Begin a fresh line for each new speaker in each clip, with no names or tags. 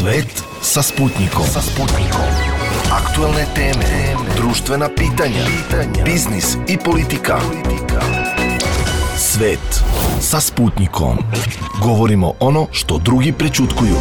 Svet sa Sputnikom. Aktuelne teme, društvena pitanja, biznis i politika. Svet sa Sputnikom. Govorimo ono što drugi prećutkuju.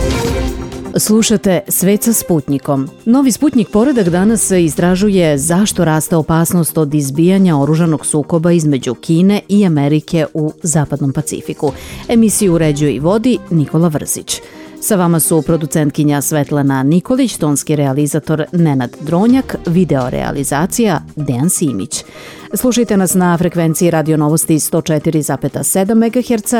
Slušate Svet sa Sputnikom. Novi Sputnik poredak danas istražuje zašto raste opasnost od izbijanja oružanog sukoba između Kine i Amerike u Zapadnom Pacifiku. Emisiju uređuje i vodi Nikola Vrzić. Sa vama su producentkinja Svetlana Nikolić, tonski realizator Nenad Dronjak, video realizacija Dejan Simić. Slušajte nas na frekvenciji Radio Novosti 104,7 MHz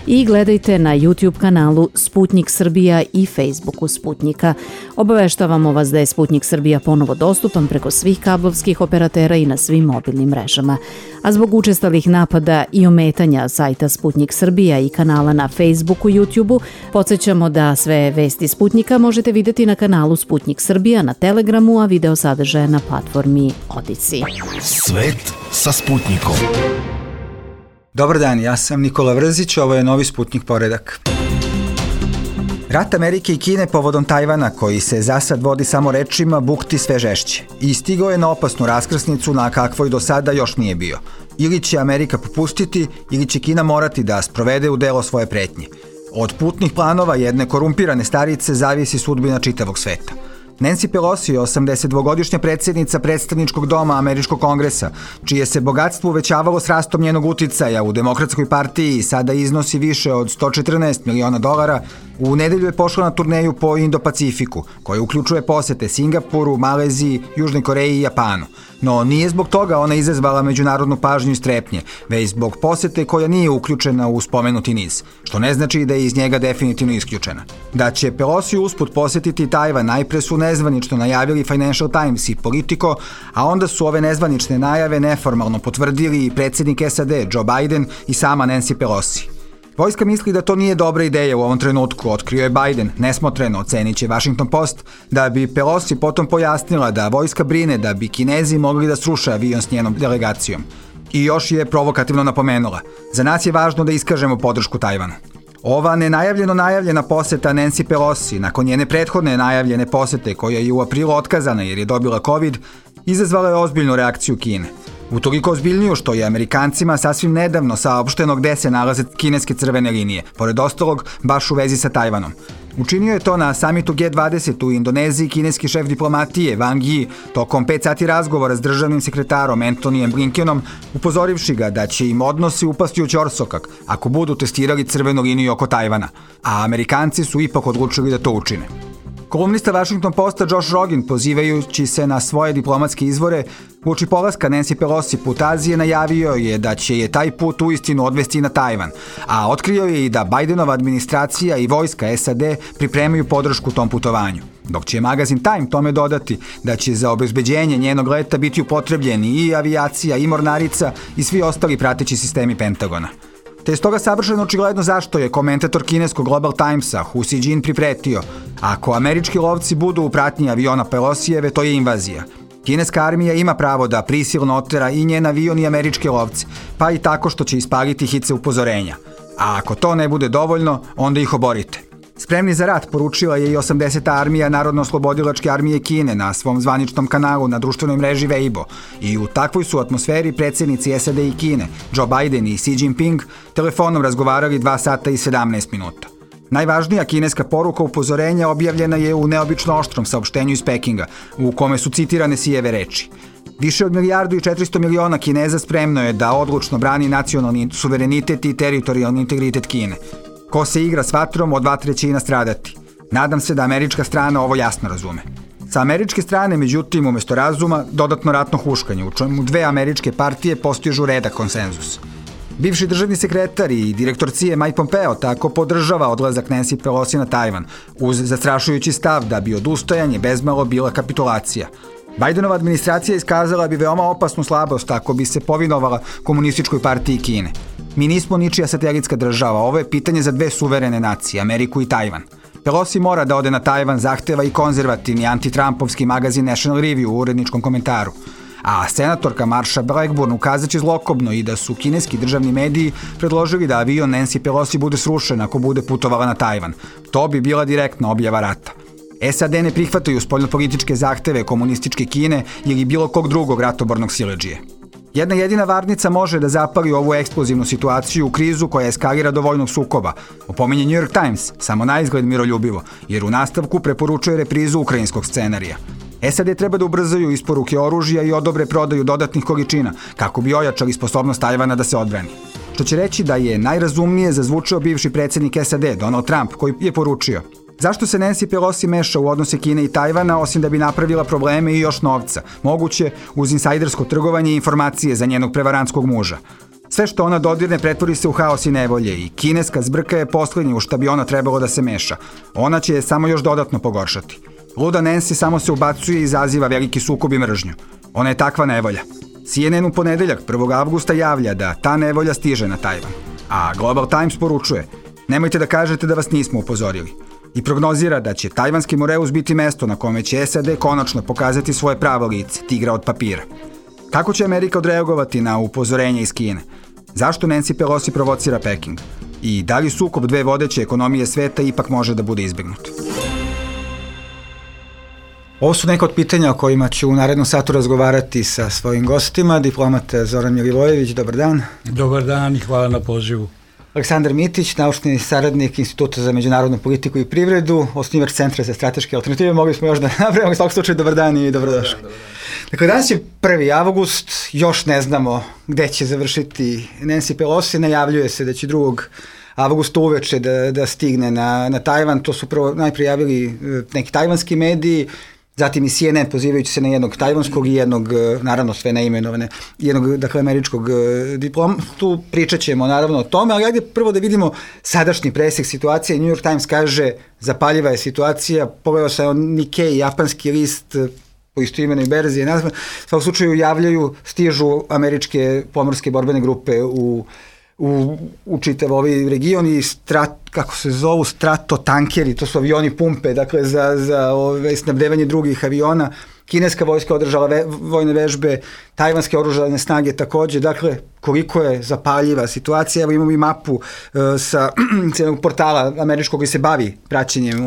i gledajte na YouTube kanalu Sputnik Srbija i Facebooku Sputnika. Obaveštavamo vas da je Sputnik Srbija ponovo dostupan preko svih kablovskih operatera i na svim mobilnim mrežama. A zbog učestalih napada i ometanja sajta Sputnik Srbija i kanala na Facebooku i YouTubeu, podsjećamo da sve vesti Sputnika možete vidjeti na kanalu Sputnik Srbija na Telegramu, a video sadržaje na platformi Odici.
Svet sa Sputnikom.
Dobar dan, ja sam Nikola Vrzić, ovo je novi Sputnik poredak. Rat Amerike i Kine povodom Tajvana, koji se za sad vodi samo rečima, bukti sve žešće. I stigao je na opasnu raskrsnicu na kakvoj do sada još nije bio. Ili će Amerika popustiti, ili će Kina morati da sprovede u delo svoje pretnje. Od putnih planova jedne korumpirane starice zavisi sudbina čitavog sveta. Nancy Pelosi je 82-godišnja predsjednica predstavničkog doma Američkog kongresa, čije se bogatstvo uvećavalo s rastom njenog uticaja u Demokratskoj partiji i sada iznosi više od $114 miliona. U nedelju je pošla na turneju po Indo-Pacifiku, koja uključuje posete Singapuru, Maleziji, Južnoj Koreji i Japanu. No nije zbog toga ona izazvala međunarodnu pažnju i strepnje, već zbog posete koja nije uključena u spomenuti niz, što ne znači da je iz njega definitivno isključena. Da će Pelosi usput posetiti Tajvan najpre su nezvanično najavili Financial Times i Politico, a onda su ove nezvanične najave neformalno potvrdili i predsjednik SAD Joe Biden i sama Nancy Pelosi. Vojska misli da to nije dobra ideja u ovom trenutku, otkrio je Biden, nesmotreno, ocenit će Washington Post, da bi Pelosi potom pojasnila da vojska brine da bi Kinezi mogli da sruše avion s njenom delegacijom. I još je provokativno napomenula, za nas je važno da iskažemo podršku Tajvanu. Ova nenajavljeno najavljena poseta Nancy Pelosi, nakon njene prethodne najavljene posete koja je u aprilu otkazana jer je dobila COVID, izazvala je ozbiljnu reakciju Kine. Utoliko ozbiljniju što je Amerikancima sasvim nedavno saopšteno gde se nalaze kineske crvene linije, pored ostalog baš u vezi sa Tajvanom. Učinio je to na samitu G20 u Indoneziji kineski šef diplomatije Wang Yi tokom 5 sati razgovora s državnim sekretarom Antonyjem Blinkenom, upozorivši ga da će im odnosi upasti u ćorsokak ako budu testirali crvenu liniju oko Tajvana, a Amerikanci su ipak odlučili da to učine. Kolumnista Washington Posta Josh Rogin, pozivajući se na svoje diplomatske izvore, uoči polaska Nancy Pelosi put Azije najavio je da će je taj put uistinu odvesti na Tajvan, a otkrio je i da Bidenova administracija i vojska SAD pripremaju podršku tom putovanju. Dok će magazin Time tome dodati da će za obezbeđenje njenog leta biti upotrebljeni i avijacija i mornarica i svi ostali prateći sistemi Pentagona. Te je stoga savršeno očigledno zašto je komentator kineskog Global Timesa Hu Xijin pripretio: ako američki lovci budu u pratnji aviona Pelosijeve, to je invazija. Kineska armija ima pravo da prisilno otera i njen avion i američke lovce, pa i tako što će ispaliti hice upozorenja. A ako to ne bude dovoljno, onda ih oborite. Spremni za rat poručila je i 80. armija Narodno-oslobodilačke armije Kine na svom zvaničnom kanalu na društvenoj mreži Weibo i u takvoj su atmosferi predsjednici SAD i Kine, Joe Biden i Xi Jinping, telefonom razgovarali 2 sata i 17 minuta. Najvažnija kineska poruka upozorenja objavljena je u neobično oštrom saopštenju iz Pekinga, u kome su citirane Sijeve reči. Više od 1,4 milijarde Kineza spremno je da odlučno brani nacionalni suverenitet i teritorijalni integritet Kine. Ko se igra s vatrom, od vatre će i nastradati. Nadam se da američka strana ovo jasno razume. Sa američke strane, međutim, umjesto razuma, dodatno ratno huškanje, u čemu dve američke partije postižu redak konsenzus. Bivši državni sekretar i direktor CIA Mike Pompeo tako podržava odlazak Nancy Pelosi na Tajvan, uz zastrašujući stav da bi odustajanje bezmalo bila kapitulacija. Bidenova administracija iskazala bi veoma opasnu slabost ako bi se povinovala komunističkoj partiji Kine. Mi nismo ničija satelitska država, ovo je pitanje za dve suverene nacije, Ameriku i Tajvan. Pelosi mora da ode na Tajvan, zahteva i konzervativni anti-Trumpovski magazin National Review u uredničkom komentaru. A senatorka Marsha Blackburn ukazaće zlokobno i da su kineski državni mediji predložili da avion Nancy Pelosi bude srušen ako bude putovala na Tajvan. To bi bila direktna objava rata. SAD ne prihvataju spoljnopolitičke zahteve komunističke Kine ili bilo kog drugog ratobornog siledžije. Jedna jedina varnica može da zapali ovu eksplozivnu situaciju u krizu koja eskalira do vojnog sukoba, opominje New York Times, samo na izgled miroljubivo, jer u nastavku preporučuje reprizu ukrajinskog scenarija. SAD treba da ubrzaju isporuke oružja i odobre prodaju dodatnih količina, kako bi ojačali sposobnost Tajvana da se odbrani. Što će reći da je najrazumnije zazvučao bivši predsjednik SAD, Donald Trump, koji je poručio: zašto se Nancy Pelosi meša u odnose Kine i Tajvana, osim da bi napravila probleme i još novca, moguće uz insajdersko trgovanje i informacije za njenog prevarantskog muža. Sve što ona dodirne pretvori se u haos i nevolje i kineska zbrka je poslednje u šta bi ona trebalo da se meša. Ona će je samo još dodatno pogoršati. Luda Nancy samo se ubacuje i izaziva veliki sukob i mržnju. Ona je takva nevolja. CNN u ponedeljak 1. avgusta javlja da ta nevolja stiže na Tajvan. A Global Times poručuje: nemojte da kažete da vas nismo upozorili. I prognozira da će tajvanski Moreus biti mesto na kome će SAD konačno pokazati svoje pravo lice, tigra od papira. Kako će Amerika odreagovati na upozorenje iz Kine? Zašto Nancy Pelosi provocira Peking? I da li sukob dve vodeće ekonomije sveta ipak može da bude izbegnut? Ovo su neka od pitanja o kojima ću u narednom satu razgovarati sa svojim gostima. Diplomat Zoran Milivojević, dobar dan.
Dobar dan i hvala na pozivu.
Aleksandar Mitić, naučni saradnik Instituta za međunarodnu politiku i privredu, osnivač Centra za strateške alternative. Mogli smo još da napravimo, u svakom slučaju dobar dan i dobrodošli. Dakle, danas je 1. avgust, još ne znamo gde će završiti Nancy Pelosi, najavljuje se da će 2. avgusta uveče da stigne na Tajvan. To su najprije javili neki tajvanski mediji, zatim i CNN pozivajući se na jednog tajvanskog i jednog, naravno sve neimenovane, jednog, dakle, američkog diplomatu. Pričat ćemo naravno o tome, ali ajde prvo da vidimo sadašnji presek situacije. New York Times kaže: zapaljiva je situacija. Pogledao sam Nikkei, japanski list, po istoimenoj berzi, u svakom slučaju javljaju, stižu američke pomorske borbene grupe u čitav ovaj region i kako se zovu, stratotankeri, to su avioni pumpe, dakle za snabdevanje drugih aviona. Kineska vojska održala vojne vežbe, tajvanske oružane snage takođe, dakle koliko je zapaljiva situacija. Evo imamo i mapu sa jednog portala američkog koji se bavi praćenjem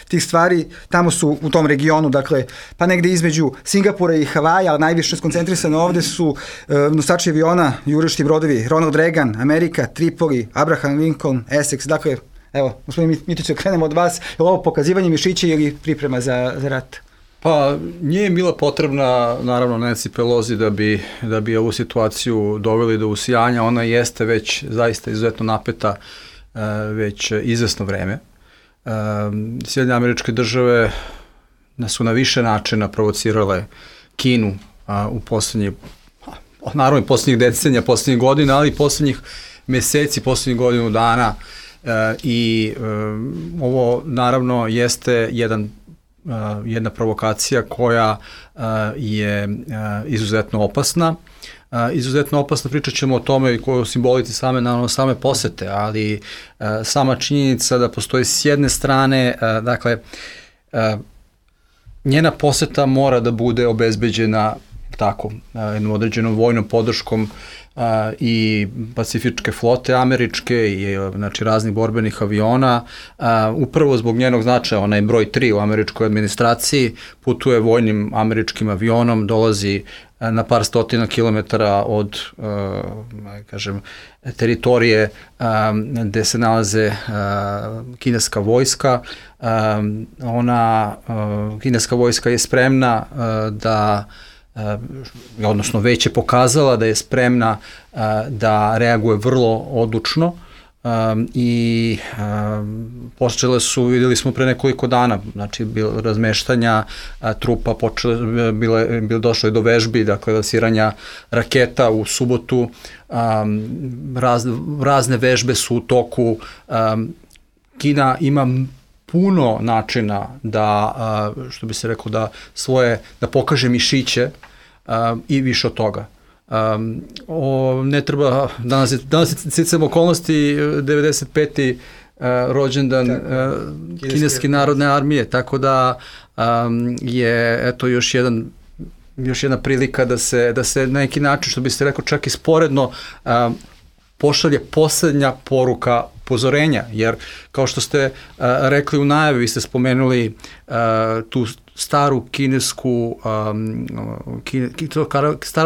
tih stvari. Tamo su u tom regionu, dakle, pa negde između Singapura i Havaja, ali najviše skoncentrisano ovde su nosači aviona, jurišni brodovi Ronald Reagan, Amerika, Tripoli, Abraham Lincoln, Essex, dakle, evo, gospodin Mitiću, krenemo od vas. Je li ovo pokazivanje mišića ili priprema za rat?
Pa nije bila potrebna, naravno, Nancy Pelosi da bi ovu situaciju doveli do usijanja. Ona jeste već zaista izuzetno napeta već izvesno vreme. Sjedinjene Američke Države su na više načina provocirale Kinu u poslednjih decenija, poslednjih godina, ali i poslednjih meseci, poslednjih godinu dana. I ovo naravno jeste jedna provokacija koja je izuzetno opasna. Izuzetno opasna, pričat ćemo o tome i koju simboliti same posete, ali sama činjenica da postoji s jedne strane, dakle, njena poseta mora da bude obezbeđena tako, jednom određenom vojnom podrškom i pacifičke flote američke i znači raznih borbenih aviona. Upravo zbog njenog značaja, ona je broj 3 u američkoj administraciji, putuje vojnim američkim avionom, dolazi na par stotina kilometara od teritorije gde se nalaze kineska vojska. Kineska vojska je spremna odnosno već je pokazala da je spremna da reaguje vrlo odlučno i počele su, videli smo pre nekoliko dana, znači razmeštanja trupa, došlo je do vežbi, dakle lansiranja raketa u subotu, razne vežbe su u toku. Kina ima puno načina da, što bi se reklo, da pokaže mišiće i više od toga. Ne treba, danas je sticam okolnosti 95. rođendan Kineske narodne armije, tako da je eto još jedna prilika da se na neki način, što bi se rekao, čak i sporedno pošalje poslednja poruka upozorenja, jer kao što ste rekli u najavi, vi ste spomenuli tu staro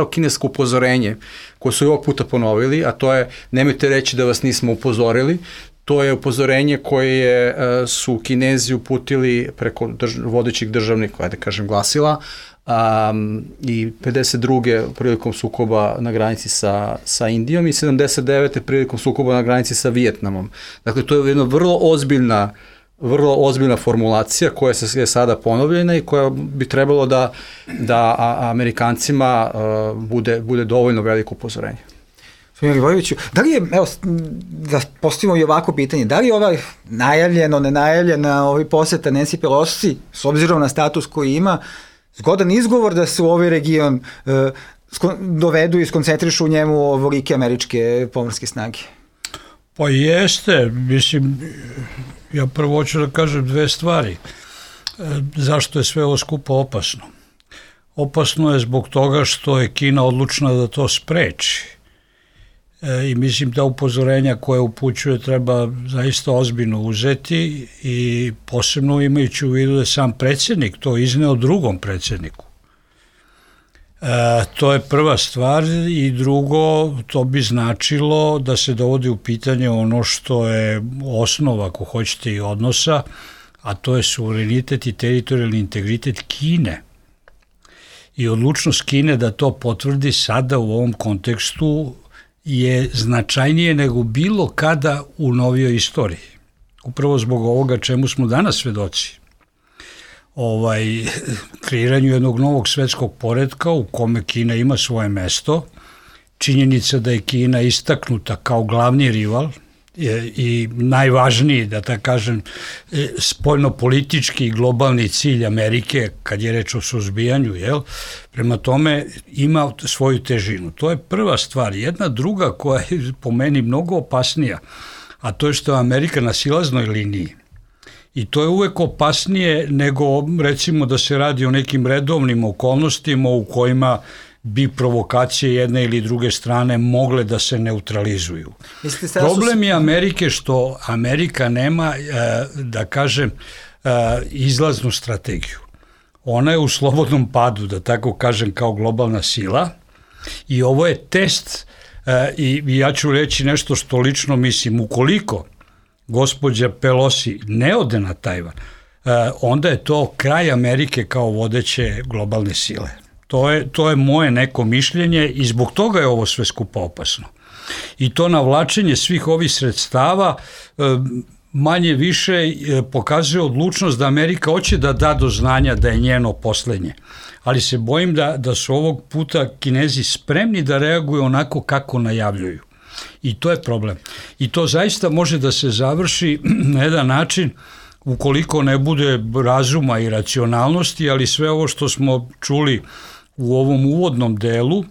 kinesko upozorenje koje su i ovog puta ponovili, a to je nemojte reći da vas nismo upozorili. To je upozorenje koje su Kinezi uputili preko vodećih državnih, da kažem, glasila, i 52. prilikom sukoba na granici sa Indijom i 79. prilikom sukoba na granici sa Vijetnamom. Dakle, to je jedna vrlo ozbiljna formulacija koja je sada ponovljena i koja bi trebalo da Amerikancima bude dovoljno veliko upozorenje.
Milivojeviću, da li je, evo, da postavimo i ovako pitanje, da li je ovaj najavljeno, nenajavljena poseta Nancy Pelosi, s obzirom na status koji ima, zgodan izgovor da se u ovaj region dovedu i skoncentrišu u njemu ovolike američke pomorske snage?
Pa jeste, mislim, ja prvo hoću da kažem dve stvari. Zašto je sve ovo skupo opasno? Opasno je zbog toga što je Kina odlučna da to spreči. I mislim da upozorenja koje upućuje treba zaista ozbiljno uzeti i posebno imajući u vidu da je sam predsjednik to izneo drugom predsjedniku. To je prva stvar i drugo, to bi značilo da se dovodi u pitanje ono što je osnova, ako hoćete, i odnosa, a to je suverenitet i teritorijalni integritet Kine. I odlučnost Kine da to potvrdi sada u ovom kontekstu je značajnije nego bilo kada u novijoj istoriji. Upravo zbog ovoga čemu smo danas svedoci. Kreiranju jednog novog svetskog poretka u kome Kina ima svoje mesto, činjenica da je Kina istaknuta kao glavni rival i najvažniji, da tako kažem, spoljnopolitički i globalni cilj Amerike kad je reč o suzbijanju, prema tome ima svoju težinu. To je prva stvar. Jedna druga koja je po meni mnogo opasnija, a to je što je Amerika na silaznoj liniji. I to je uvek opasnije nego recimo da se radi o nekim redovnim okolnostima u kojima bi provokacije jedne ili druge strane mogle da se neutralizuju. Problem je Amerike što Amerika nema, da kažem, izlaznu strategiju. Ona je u slobodnom padu, da tako kažem, kao globalna sila i ovo je test i ja ću reći nešto što lično mislim. Ukoliko gospođa Pelosi ne ode na Tajvan, onda je to kraj Amerike kao vodeće globalne sile. To je moje neko mišljenje i zbog toga je ovo sve skupo opasno. I to navlačenje svih ovih sredstava manje više pokazuje odlučnost da Amerika hoće da da do znanja da je njeno poslednje. Ali se bojim da su ovog puta Kinezi spremni da reaguju onako kako najavljuju. I to je problem. I to zaista može da se završi na jedan način ukoliko ne bude razuma i racionalnosti, ali sve ovo što smo čuli u ovom uvodnom delu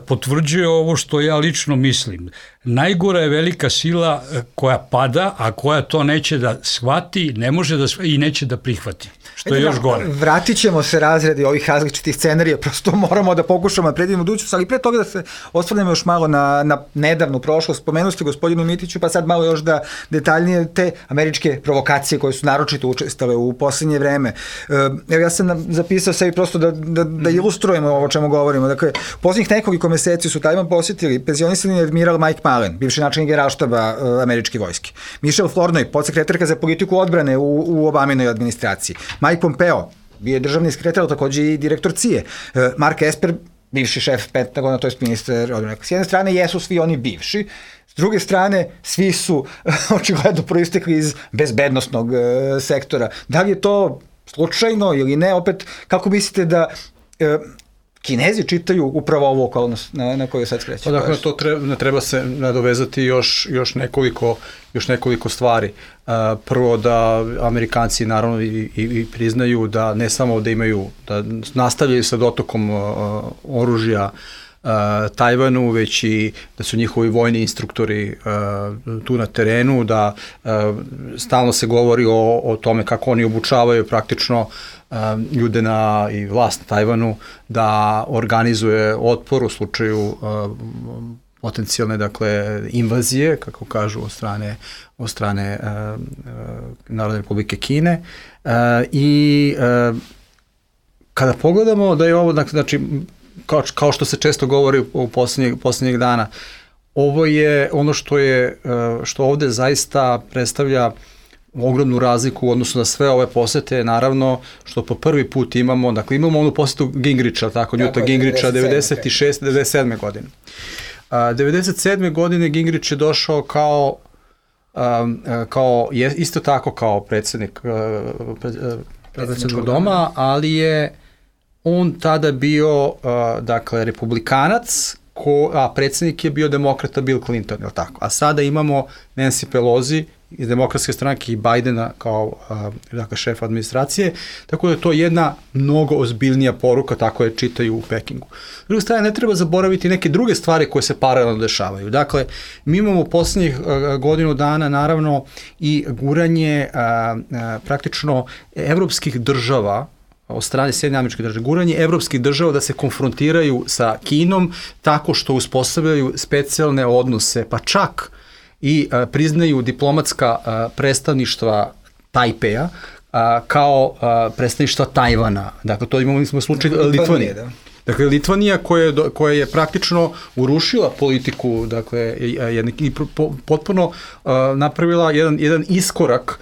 potvrđuje ovo što ja lično mislim. Najgora je velika sila koja pada, a koja to neće da shvati, ne može da shvati i neće da prihvati, što je još gore.
Vratit ćemo se razredi ovih različitih scenarija, prosto moramo da pokušamo da predvidimo budućnost, ali pre toga da se osvrnemo još malo na nedavnu prošlost. Spomenuli ste gospodinu Mitiću, pa sad malo još da detaljnije te američke provokacije koje su naročito učestale u poslednje vreme. Evo ja sam zapisao sebi prosto da ilustrujemo ovo o čemu govorimo. Dakle, u poslednjih nekoliko meseci su Tajvan posjetili penzionisani admiral Mike Mullen, bivši načelnik Generalštaba američke vojske, Michelle Flournoy, podsekretarka za politiku odbrane u Obaminoj administraciji, Mike Pompeo, bio je državni sekretar, takođe i direktor CIA, Mark Esper, bivši šef Pentagona, to je ministar odbrane. S jedne strane jesu svi oni bivši, s druge strane svi su očigledno proistekli iz bezbednostnog sektora. Da li je to slučajno ili ne? Opet, kako mislite da Kinezi čitaju upravo ovu okolnost na koju sad skreće?
Dakle, to treba se nadovezati još nekoliko stvari. Prvo da Amerikanci naravno i priznaju da ne samo da imaju, da nastavljaju sa dotokom oružja Tajvanu, već i da su njihovi vojni instruktori tu na terenu, da stalno se govori o tome kako oni obučavaju praktično ljude i vlast na Tajvanu da organizuje otpor u slučaju potencijalne, dakle, invazije, kako kažu, od strane Narodne Republike Kine. I kada pogledamo da je ovo, znači, kao što se često govori u posljednjih dana, ovo je ono što ovde zaista predstavlja ogromnu razliku u odnosu na sve ove posete, naravno, što po prvi put imamo, dakle, imamo onu posetu Gingricha, tako, Newta Gingricha, 96. 97. godine. 97. godine Gingrich je došao kao isto tako kao predsjednik predsjedničkog doma, ali je on tada bio, dakle, republikanac, a predsjednik je bio demokrata Bill Clinton, je li tako? A sada imamo Nancy Pelosi iz demokratske stranke i Bidena kao, dakle, šef administracije, tako da je to jedna mnogo ozbiljnija poruka, tako je čitaju u Pekingu. S druge strane, ne treba zaboraviti neke druge stvari koje se paralelno dešavaju. Dakle, mi imamo poslednjih godinu dana, naravno, i guranje praktično evropskih država od strane Sjedinjenih Američkih Država, guranje evropskih država da se konfrontiraju sa Kinom tako što uspostavljaju specijalne odnose, pa čak i priznaju diplomatska predstavništva Tajpeja kao predstavništva Tajvana. Dakle, to imamo slučaj Litvanije. Dakle, Litvanija koja je praktično urušila politiku, dakle, i potpuno napravila jedan iskorak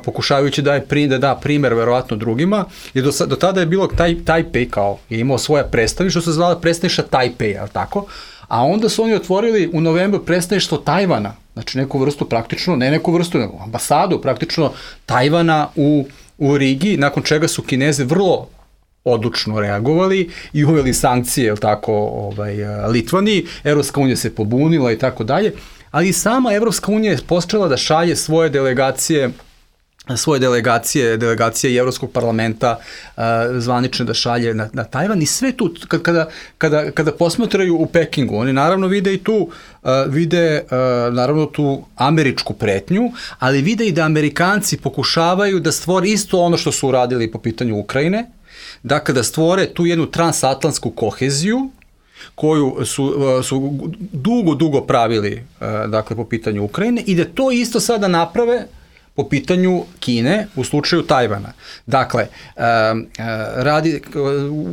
pokušavajući da da primer verovatno drugima, jer do tada je bilo Tajpej kao je imao svoja predstavništva, što se zvala predstavništva Tajpeja, tako? A onda su oni otvorili u novembru predstavništvo Tajvana, znači neku vrstu praktično, ne neku vrstu, nego ambasadu praktično Tajvana u Rigi, nakon čega su Kinezi vrlo odlučno reagovali i uveli sankcije, je li tako, Litvaniji, Evropska unija se pobunila i tako dalje, ali i sama Evropska unija je počela da šalje svoje delegacije i Evropskog parlamenta zvanične da šalje na Tajvan i sve tu, kada posmatraju u Pekingu, oni naravno vide i tu, naravno tu američku pretnju, ali vide i da Amerikanci pokušavaju da stvore isto ono što su uradili po pitanju Ukrajine, dakle da stvore tu jednu transatlantsku koheziju koju su dugo pravili, dakle, po pitanju Ukrajine i da to isto sada naprave po pitanju Kine u slučaju Tajvana. Dakle,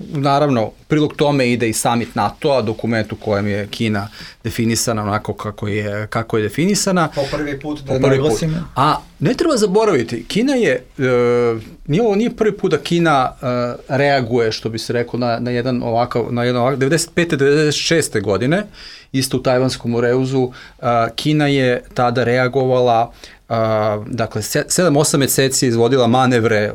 naravno, prilog tome ide i summit NATO-a, dokument u kojem je Kina definisana onako kako je definisana.
Po prvi put, da naglasimo.
A ne treba zaboraviti, Kina je, nije prvi put da Kina reaguje, što bi se rekao, na jedan ovakav, 95. 96. godine, isto u Tajvanskom Moreuzu, Kina je tada reagovala, dakle, 7-8 meseci izvodila manevre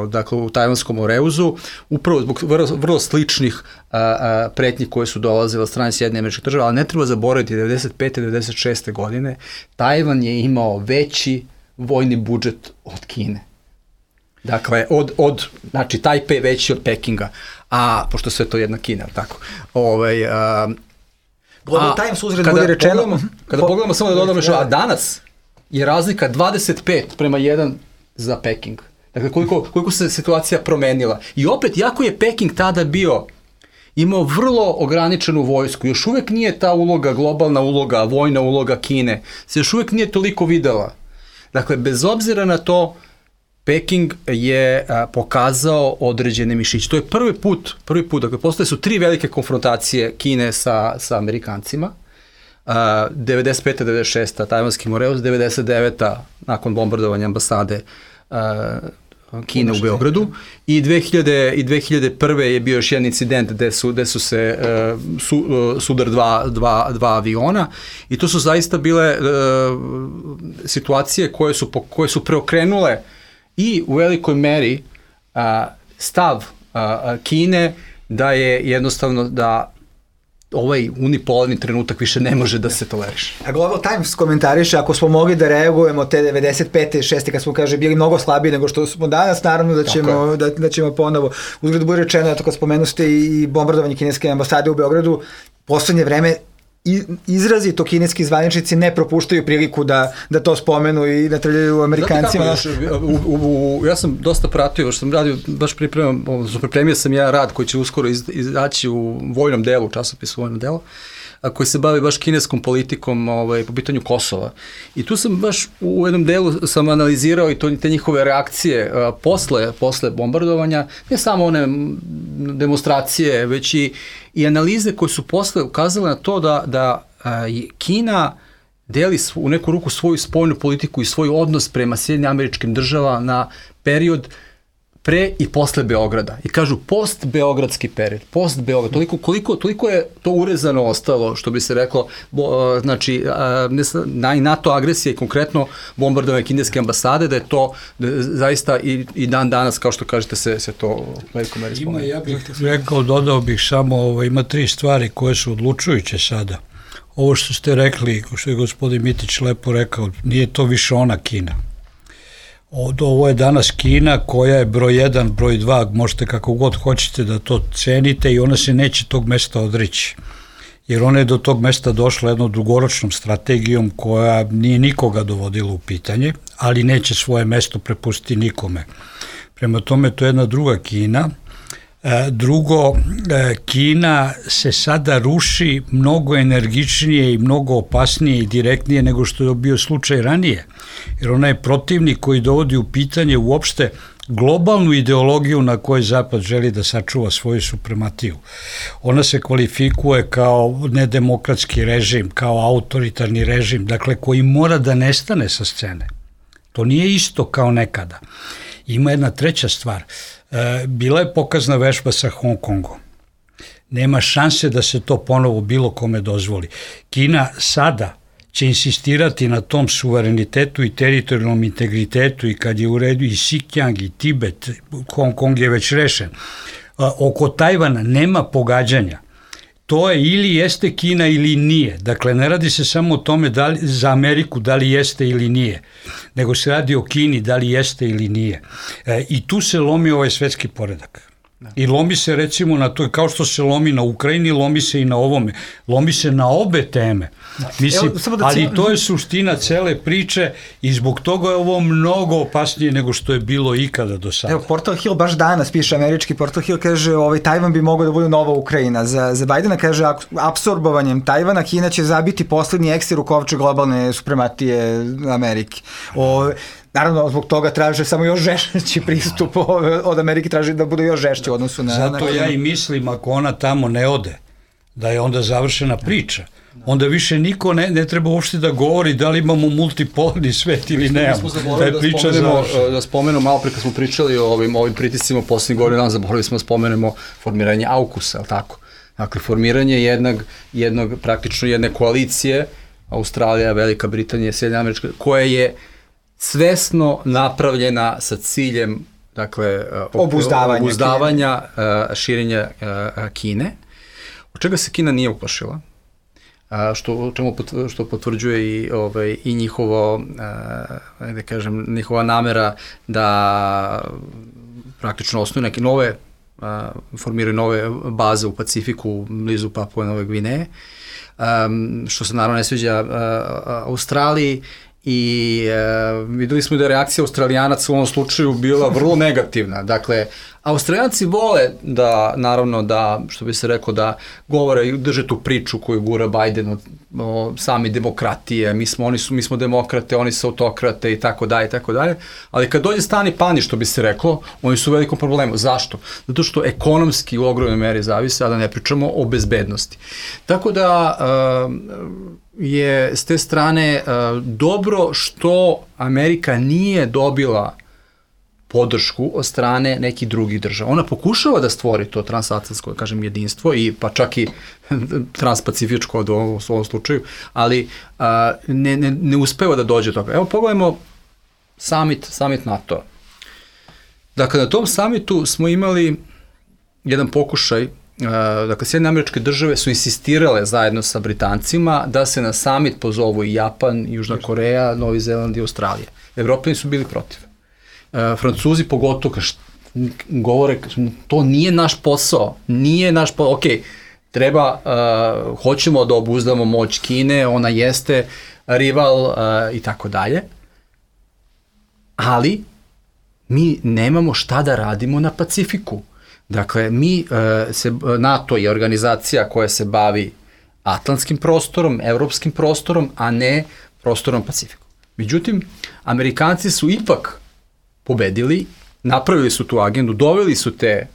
dakle, u Tajvanskom Moreuzu, upravo zbog vrlo sličnih pretnji koje su dolazile od strane Sjedinjenih Američkih Država, ali ne treba zaboraviti 95. 96. godine Tajvan je imao veći vojni budžet od Kine. Dakle, znači, Tajpej veći od Pekinga, a pošto sve to jedna Kina, tako.
Global Times uzred bude rečeno.
Kada pogledamo samo da dodamo još, a danas je razlika 25:1 za Peking. Dakle, koliko se situacija promenila. I opet, jako je Peking tada imao vrlo ograničenu vojsku, još uvek nije ta uloga, globalna uloga, vojna uloga Kine, se još uvek nije toliko videla. Dakle, bez obzira na to, Peking je pokazao određene mišiće. To je prvi put, dakle, postoje su 3 velike konfrontacije Kine sa Amerikancima, 95. 96. Tajvanski Moreus, 99. nakon bombardovanja ambasade Kine u Beogradu i 2001. je bio još jedan incident gde su se sudar dva aviona i to su zaista bile situacije koje su preokrenule i u velikoj meri stav Kine da je jednostavno da ovaj unipolarni trenutak više ne može da se toleriše.
A Global Times komentariše, ako smo mogli da reagujemo te 95. 6. kad smo, bili mnogo slabiji nego što smo danas, naravno da ćemo ponovo. Uzgled bude rečeno, kad spomenu ste i bombardovanje kineske ambasade u Beogradu, poslednje vreme izrazito kineski zvaničnici ne propuštaju priliku da to spomenu i natrljaju Amerikancima.
Ja sam dosta pratio, što sam radio, baš pripremio sam jedan rad koji će uskoro izaći u vojnom delu, časopisu vojnom delu, koji se bave baš kineskom politikom po pitanju Kosova. I tu sam baš u jednom delu sam analizirao i te njihove reakcije posle bombardovanja, ne samo one demonstracije, već i analize koje su posle ukazale na to da Kina deli u neku ruku svoju spoljnu politiku i svoj odnos prema Sjedinjenim Američkim Državama na period pre i posle Beograda. I kažu post-beogradski period, post-Beograd. Toliko je to urezano ostalo, što bi se reklo, znači, NATO agresija i konkretno bombardovanje kineske ambasade, da je to zaista i dan danas, kao što kažete, se to u velikoj meri spomenu.
Ja bih rekao, dodao bih samo, ima 3 stvari koje su odlučujuće sada. Ovo što ste rekli, što je gospodin Mitić lepo rekao, nije to više ona Kina. Ovo je danas Kina koja je broj 1, broj 2, možete kako god hoćete da to cenite i ona se neće tog mesta odreći. Jer ona je do tog mesta došla jednom dugoročnom strategijom koja nije nikoga dovodila u pitanje, ali neće svoje mesto prepustiti nikome. Prema tome, to je jedna druga Kina. Drugo, Kina se sada ruši mnogo energičnije i mnogo opasnije i direktnije nego što je bio slučaj ranije. Jer ona je protivnik koji dovodi u pitanje uopšte globalnu ideologiju na kojoj Zapad želi da sačuva svoju suprematiju. Ona se kvalifikuje kao nedemokratski režim, kao autoritarni režim, dakle koji mora da nestane sa scene. To nije isto kao nekada. Ima jedna treća stvar. Bila je pokazna vežba sa Hong Kongom. Nema šanse da se to ponovo bilo kome dozvoli. Kina sada će insistirati na tom suverenitetu i teritorijalnom integritetu i kad je u redu i Xinjiang i Tibet, Hong Kong je već rešen. Oko Tajvana nema pogađanja. To je ili jeste Kina ili nije. Dakle, ne radi se samo o tome za Ameriku da li jeste ili nije, nego se radi o Kini da li jeste ili nije. I tu se lomi ovaj svetski poredak. I lomi se recimo na to, kao što se lomi na Ukrajini, lomi se i na ovome. Lomi se na obe teme. Mislim, ali to je suština cele priče i zbog toga je ovo mnogo opasnije nego što je bilo ikada do sada.
Evo, Portal Hill baš danas piše, američki Portal Hill kaže Tajvan bi mogao da bude nova Ukrajina. Za Bajdena kaže apsorbovanjem Tajvana Kina će zabiti poslednji ekster u kovče globalne suprematije Amerike. Naravno, zbog toga traže samo još žešći pristup od Amerike, traže da bude još žešći u odnosu na...
Zato ja i mislim, ako ona tamo ne ode, da je onda završena priča. Onda više niko ne treba uopšte da govori da li imamo multipolarni svet ili nemamo.
Da spomenemo malo pre kad smo pričali o ovim pritiscima poslednjih godina, zaboravili smo da spomenemo formiranje AUKUS-a, ali tako? Dakle, formiranje praktično jedne koalicije, Australija, Velika Britanija, Sjedinjene Američke, koja je svesno napravljena sa ciljem, dakle, obuzdavanja širenja Kine, od čega se Kina nije uplašila, što potvrđuje i njihova namera da praktično osnuju neke formiraju nove baze u Pacifiku, blizu Papue Nove Gvineje, što se naravno ne sviđa Australiji. I videli smo da je reakcija Australijanaca u ovom slučaju bila vrlo negativna. Dakle, Australijanci vole da, naravno, da, što bi se rekao, da govore i drže tu priču koju gura Biden o sami demokratije, mi smo demokrate, oni su autokrate i tako dalje, ali kad dođe stani pani, što bi se reklo, oni su u velikom problemu. Zašto? Zato što ekonomski u ogromnoj meri zavise, a da ne pričamo o bezbednosti. Tako da je s te strane dobro što Amerika nije dobila podršku od strane nekih drugih država. Ona pokušava da stvori to transatlantsko, kažem, jedinstvo i pa čak i transpacifičko u ovom slučaju, ali ne uspeva da dođe do toga. Evo pogledajmo summit NATO-a. Dakle, na tom summitu smo imali jedan pokušaj, dakle, Sjedinjene Američke Države su insistirale zajedno sa Britancima da se na summit pozovu i Japan, Južna Koreja, Novi Zeland i Australija. Evropljani su bili protiv. Francuzi pogotovo govore, to nije naš posao, ok, treba, hoćemo da obuzdamo moć Kine, ona jeste rival i tako dalje, ali mi nemamo šta da radimo na Pacifiku. Dakle, NATO je organizacija koja se bavi atlantskim prostorom, evropskim prostorom, a ne prostorom Pacifiku. Međutim, Amerikanci su ipak pobedili, napravili su tu agendu, doveli su te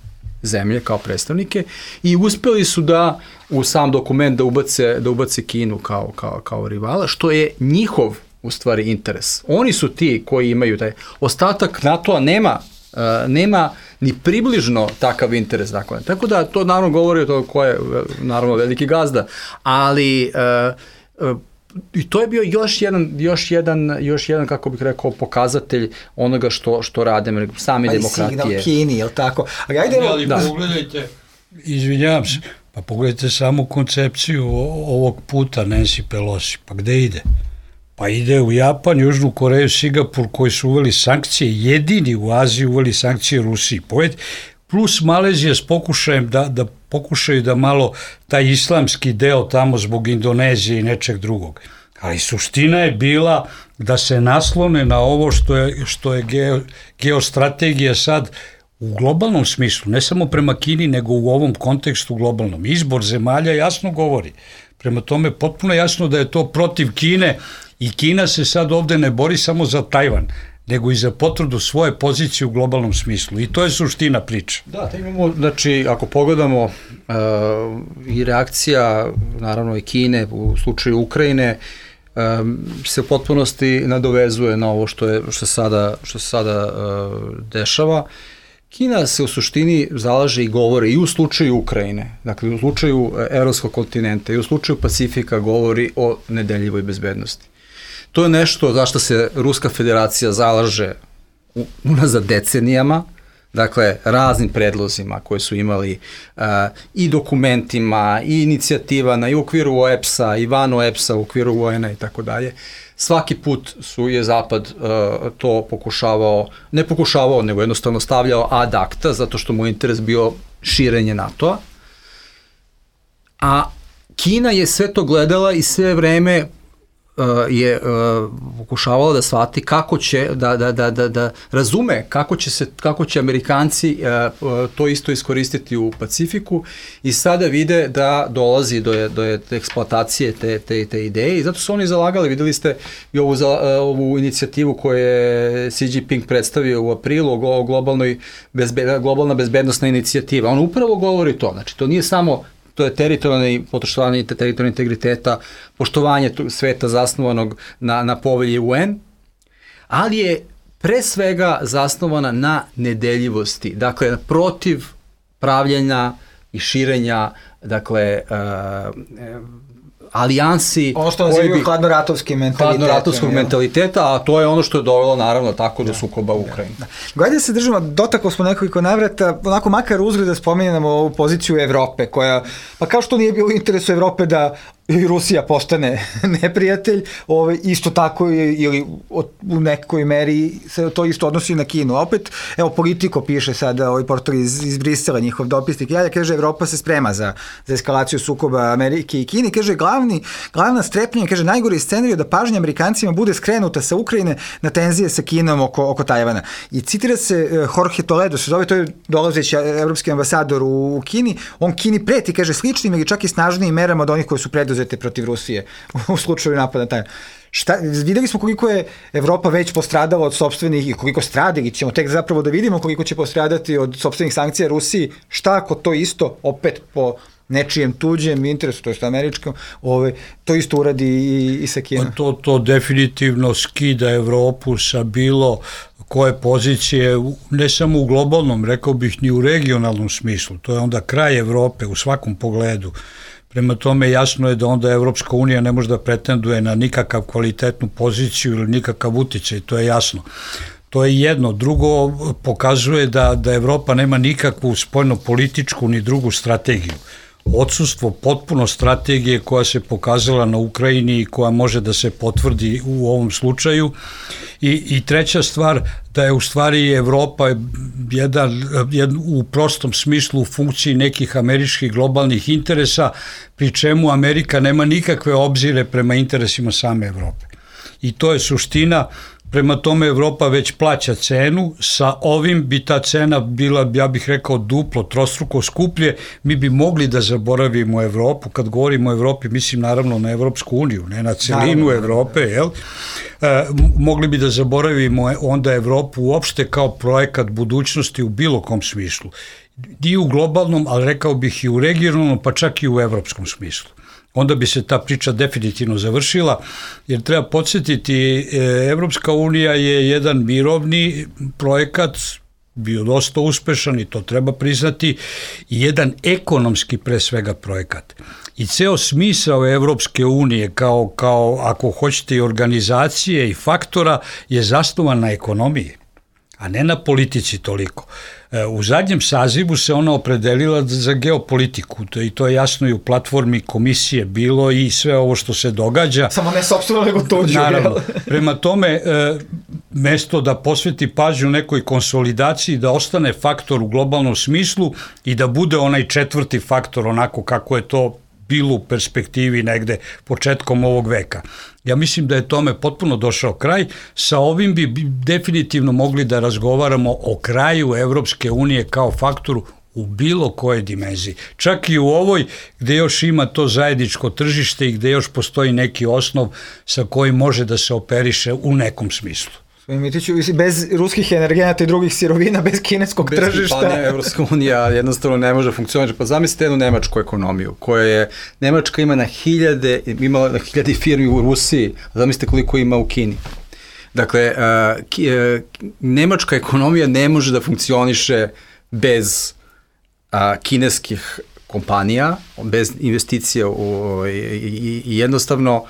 zemlje kao predstavnike i uspeli su da u sam dokument da ubace Kinu kao rivala, što je njihov u stvari interes. Oni su ti koji imaju taj ostatak NATO-a nema ni približno takav interes. Dakle. Tako da to naravno govori o to ko je naravno veliki gazda, ali i to je bio još jedan kako bih rekao pokazatelj onoga što rade same demokratije.
Pa i signal Kini, je li tako?
Ali pogledajte, izvinjavam se, pa pogledajte samu koncepciju ovog puta Nancy Pelosi, pa gde ide? Pa ide u Japan, Južnu Koreju, Singapur koji su uveli sankcije, jedini u Aziji uveli sankcije Rusiji. Plus Malezija s pokušajem da pokušaju da malo taj islamski deo tamo zbog Indonezije i nečeg drugog. Ali suština je bila da se naslone na ovo što je geostrategija sad u globalnom smislu, ne samo prema Kini, nego u ovom kontekstu globalnom. Izbor zemalja jasno govori. Prema tome, potpuno jasno da je to protiv Kine i Kina se sad ovde ne bori samo za Tajvan, nego i za potvrdu svoje pozicije u globalnom smislu. I to je suština priče.
Da, imamo, znači, ako pogledamo i reakcija, naravno i Kine u slučaju Ukrajine, se u potpunosti nadovezuje na ovo što se sada dešava. Kina se u suštini zalaže i govori i u slučaju Ukrajine, dakle u slučaju evropskog kontinenta i u slučaju Pacifika govori o nedeljivoj bezbednosti. To je nešto zašto se Ruska federacija zalaže unazad decenijama, dakle raznim predlozima koje su imali i dokumentima i inicijativama i u okviru OEPS-a i van OEPS-a u okviru UN-a i tako dalje. Svaki put je Zapad to ne pokušavao, nego jednostavno stavljao ad acta, zato što mu je interes bio širenje NATO-a. A Kina je sve to gledala i sve vreme je pokušavala da shvati kako će, da razume kako će Amerikanci to isto iskoristiti u Pacifiku i sada vide da dolazi do eksploatacije te ideje i zato su oni zalagali, videli ste i ovu inicijativu koju je Xi Jinping predstavio u aprilu, globalna bezbednostna inicijativa. On upravo govori to, znači to nije samo to je poštovanje teritorijalnog integriteta, poštovanje sveta zasnovanog na povelji UN, ali je pre svega zasnovana na nedeljivosti, dakle protiv pravljenja i širenja, dakle, alijansi.
Ono što nazivaju
hladnoratovskog mentaliteta, a to je ono što je dovelo naravno tako do sukoba u Ukrajini.
Gledajte se držimo, dotaklo smo nekoliko navrata, onako makar uzgled da spominjamo ovu poziciju Evrope, koja, pa kao što nije bilo u interesu Evrope da i Rusija postane neprijatelj, isto tako ili u nekoj meri se to isto odnosi na Kinu. Opet, evo, Politico piše sada, portal iz Brisela, njihov dopisnik, kaže, Evropa se sprema za eskalaciju sukoba Amerike i Kine, kaže, glavna strepnja, kaže, najgori scenarij da pažnja Amerikancima bude skrenuta sa Ukrajine na tenzije sa Kinom oko Tajvana. I citira se Jorge Toledo, se zove, to je dolazeći evropski ambasador u Kini, on Kini preti, kaže, sličnim ili čak i snažnijim merama od onih koje su preduzete protiv Rusije u slučaju napada Tajvan. Videli smo koliko je Evropa već postradala od sopstvenih i koliko strada, ili ćemo tek zapravo da vidimo koliko će postradati od sopstvenih sankcija Rusiji. Šta ako to isto, opet po nečijem tuđem interesu, to je američkom, to isto uradi i sa Kinom?
To definitivno skida Evropu sa bilo koje pozicije, ne samo u globalnom, rekao bih, ni u regionalnom smislu. To je onda kraj Evrope u svakom pogledu. Prema tome jasno je da onda Evropska unija ne može da pretenduje na nikakav kvalitetnu poziciju ili nikakav uticaj, to je jasno. To je jedno. Drugo, pokazuje da Evropa nema nikakvu spoljno-političku ni drugu strategiju. Odsustvo potpuno strategije koja se pokazala na Ukrajini i koja može da se potvrdi u ovom slučaju. I treća stvar, da je u stvari Evropa u prostom smislu u funkciji nekih američkih globalnih interesa, pri čemu Amerika nema nikakve obzire prema interesima same Evrope. I to je suština, prema tome Evropa već plaća cenu, sa ovim bi ta cena bila, ja bih rekao, duplo, trostruko skuplje, mi bi mogli da zaboravimo Evropu, kad govorimo o Evropi, mislim naravno na Evropsku uniju, ne na celinu Evrope, jel? Mogli bi da zaboravimo onda Evropu uopšte kao projekat budućnosti u bilo kom smislu. I u globalnom, ali rekao bih i u regionalnom, pa čak i u evropskom smislu. Onda bi se ta priča definitivno završila, jer treba podsjetiti, Evropska unija je jedan mirovni projekat, bio dosta uspešan i to treba priznati, i jedan ekonomski pre svega projekat. I ceo smisao Evropske unije kao ako hoćete i organizacije i faktora je zasnovan na ekonomiji, a ne na politici toliko. U zadnjem sazivu se ona opredelila za geopolitiku i to je jasno i u platformi komisije bilo i sve ovo što se događa.
Samo ne sopstveno nego tuđu.
Naravno. Prema tome, mesto da posveti pažnju nekoj konsolidaciji, da ostane faktor u globalnom smislu i da bude onaj četvrti faktor onako kako je to bilo u perspektivi negde početkom ovog veka. Ja mislim da je tome potpuno došao kraj. Sa ovim bi definitivno mogli da razgovaramo o kraju Evropske unije kao faktoru u bilo kojoj dimenziji. Čak i u ovoj gde još ima to zajedničko tržište i gde još postoji neki osnov sa kojim može da se operiše u nekom smislu.
Mitiću, bez ruskih energenata i drugih sirovina, bez kineskog tržišta.
Bez kipanja Evropska unija jednostavno ne može funkcionirati. Pa zamislite jednu nemačku ekonomiju, koja je, Nemačka ima imala na hiljade firmi u Rusiji, zamislite koliko ima u Kini. Dakle, nemačka ekonomija ne može da funkcioniše bez kineskih kompanija, bez investicija i jednostavno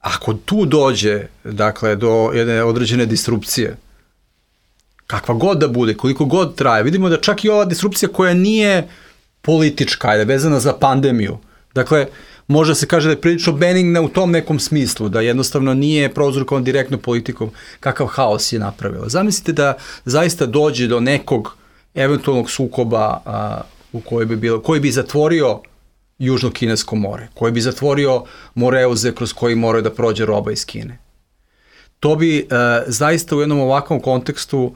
ako tu dođe, dakle, do jedne određene disrupcije, kakva god da bude, koliko god traje, vidimo da čak i ova disrupcija koja nije politička, je vezana za pandemiju, dakle, može se kaže da je prilično benigna u tom nekom smislu, da jednostavno nije prouzrokovan direktno politikom, kakav haos je napravila. Zamislite da zaista dođe do nekog eventualnog sukoba koji bi zatvorio Južno kinesko more, koji bi zatvorio Moreuze kroz koji moraju da prođe roba iz Kine. To bi zaista u jednom ovakvom kontekstu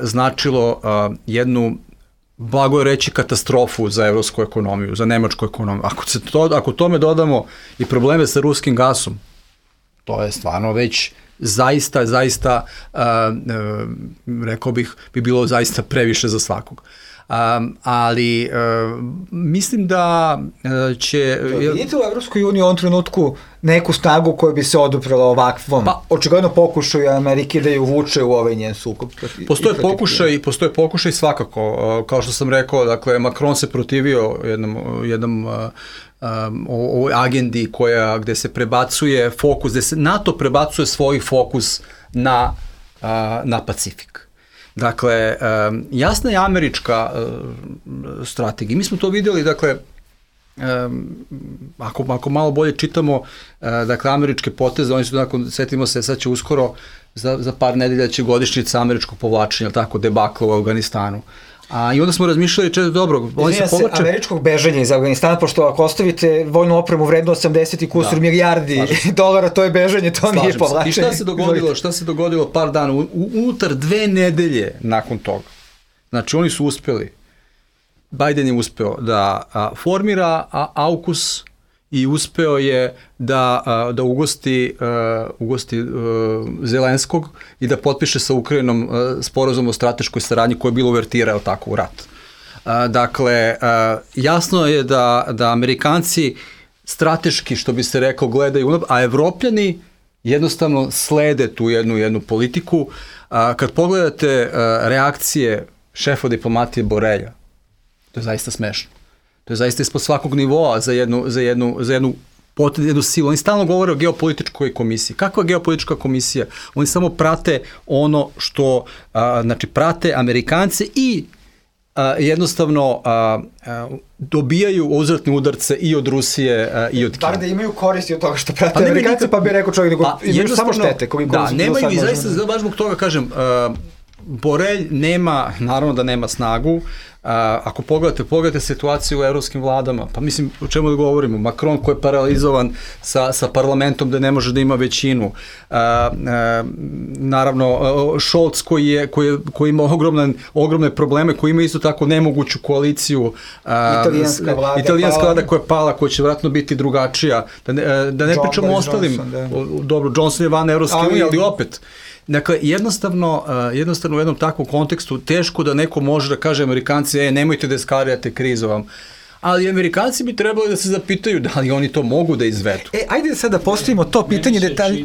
značilo jednu, blago je reći, katastrofu za evropsku ekonomiju, za nemačku ekonomiju. Ako tome dodamo i probleme sa ruskim gasom, to je stvarno već zaista, rekao bih, bi bilo zaista previše za svakog. Ali mislim da će...
Vidite u Evropskoj uniji u ovom trenutku neku snagu koja bi se oduprela ovakvom, očigledno pokušaju Amerike da ju vuče u ovaj njen sukob?
Postoje pokušaj svakako. Kao što sam rekao, dakle, Macron se protivio jednom ovoj agendi gde se prebacuje fokus, gde se NATO prebacuje svoj fokus na Pacifik. Dakle, jasna je američka strategija. Mi smo to vidjeli, dakle, ako malo bolje čitamo, dakle, američke poteze, oni su, setimo se, sad će uskoro, za par nedelja će godišnjica američkog povlačenja, tako, debakla u Afganistanu. I onda smo razmišljali, dobro, oni se povlače...
američkog bežanja iz Afganistana, pošto ako ostavite vojnu opremu vrednu 80 i kusur milijardi dolara, to je bežanje, to nije povlačenje.
I šta se dogodilo par dana, unutar 2 nedelje nakon toga? Znači, oni su uspeli, Biden je uspeo da formira AUKUS i uspeo je da ugosti Zelenskog i da potpiše sa Ukrajinom sporazum o strateškoj saradnji koja je bilo uvertirao tako u rat. Dakle, jasno je da Amerikanci strateški, što bi se rekao, gledaju, a Evropljani jednostavno slede tu jednu politiku. Kad pogledate reakcije šefa diplomatije Borelja, to je zaista smešno. To je zaista ispod svakog nivoa za jednu silu. Oni stalno govore o geopolitičkoj komisiji. Kakva geopolitička komisija? Oni samo prate ono što, znači prate Amerikance i jednostavno dobijaju uzvratne udarce i od Rusije i od Kine.
Bar da imaju koristi od toga što prate Amerikance, pa bi rekao čovjek da imaju samo štete.
Da, nemaju i zaista, baš zbog toga kažem, Borelj naravno da nema snagu. Ako pogledate situaciju u evropskim vladama, pa mislim, o čemu da govorimo, Macron koji je paralizovan sa parlamentom da ne može da ima većinu, naravno Scholz koji ima ogromne probleme, koji ima isto tako nemoguću koaliciju, italijanska vlada koja je pala, koja će vjerojatno biti drugačija, da ne pričamo o ostalim, dobro, Johnson je van Evropske unije, ali opet. Dakle, jednostavno u jednom takvom kontekstu teško da neko može da kaže Amerikanci, nemojte da eskalirate krizu vam. Ali Amerikanci bi trebali da se zapitaju da li oni to mogu da izvedu.
Ajde sad da postavimo to pitanje detalje.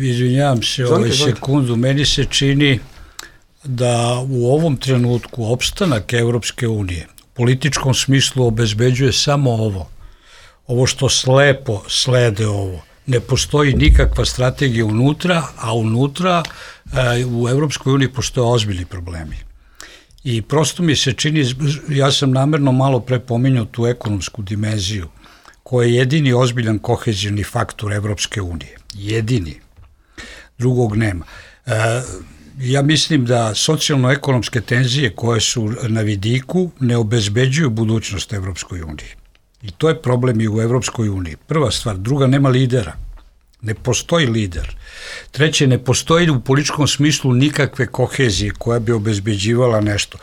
Izvinjavam se sekundu, meni se čini da u ovom trenutku opstanak Evropske unije u političkom smislu obezbeđuje samo ovo što slepo slede ovo. Ne postoji nikakva strategija unutra, a unutra u Evropskoj uniji postoje ozbiljni problemi. I prosto mi se čini, ja sam namerno malo pre pominjao tu ekonomsku dimenziju, koja je jedini ozbiljan kohezivni faktor Evropske unije. Jedini. Drugog nema. Ja mislim da socijalno-ekonomske tenzije koje su na vidiku ne obezbeđuju budućnost Evropskoj uniji. I to je problem i u Evropskoj uniji. Prva stvar. Druga, nema lidera. Ne postoji lider. Treće, ne postoji u političkom smislu nikakve kohezije koja bi obezbeđivala nešto.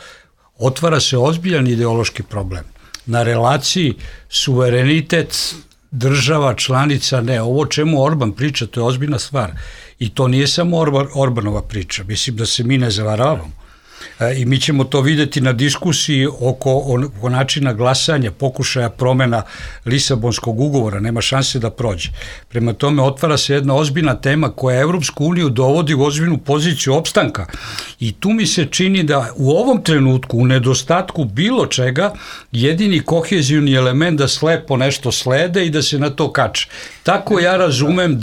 Otvara se ozbiljan ideološki problem. Na relaciji suverenitet država, članica, ne. Ovo čemu Orban priča, to je ozbiljna stvar. I to nije samo Orbanova priča. Mislim da se mi ne zavaravamo. I mi ćemo to videti na diskusiji oko načina glasanja, pokušaja promena Lisabonskog ugovora, nema šanse da prođe. Prema tome otvara se jedna ozbiljna tema koja Evropsku uniju dovodi u ozbiljnu poziciju opstanka i tu mi se čini da u ovom trenutku, u nedostatku bilo čega, jedini kohezivni element da slepo nešto slede i da se na to kače. Tako ja razumem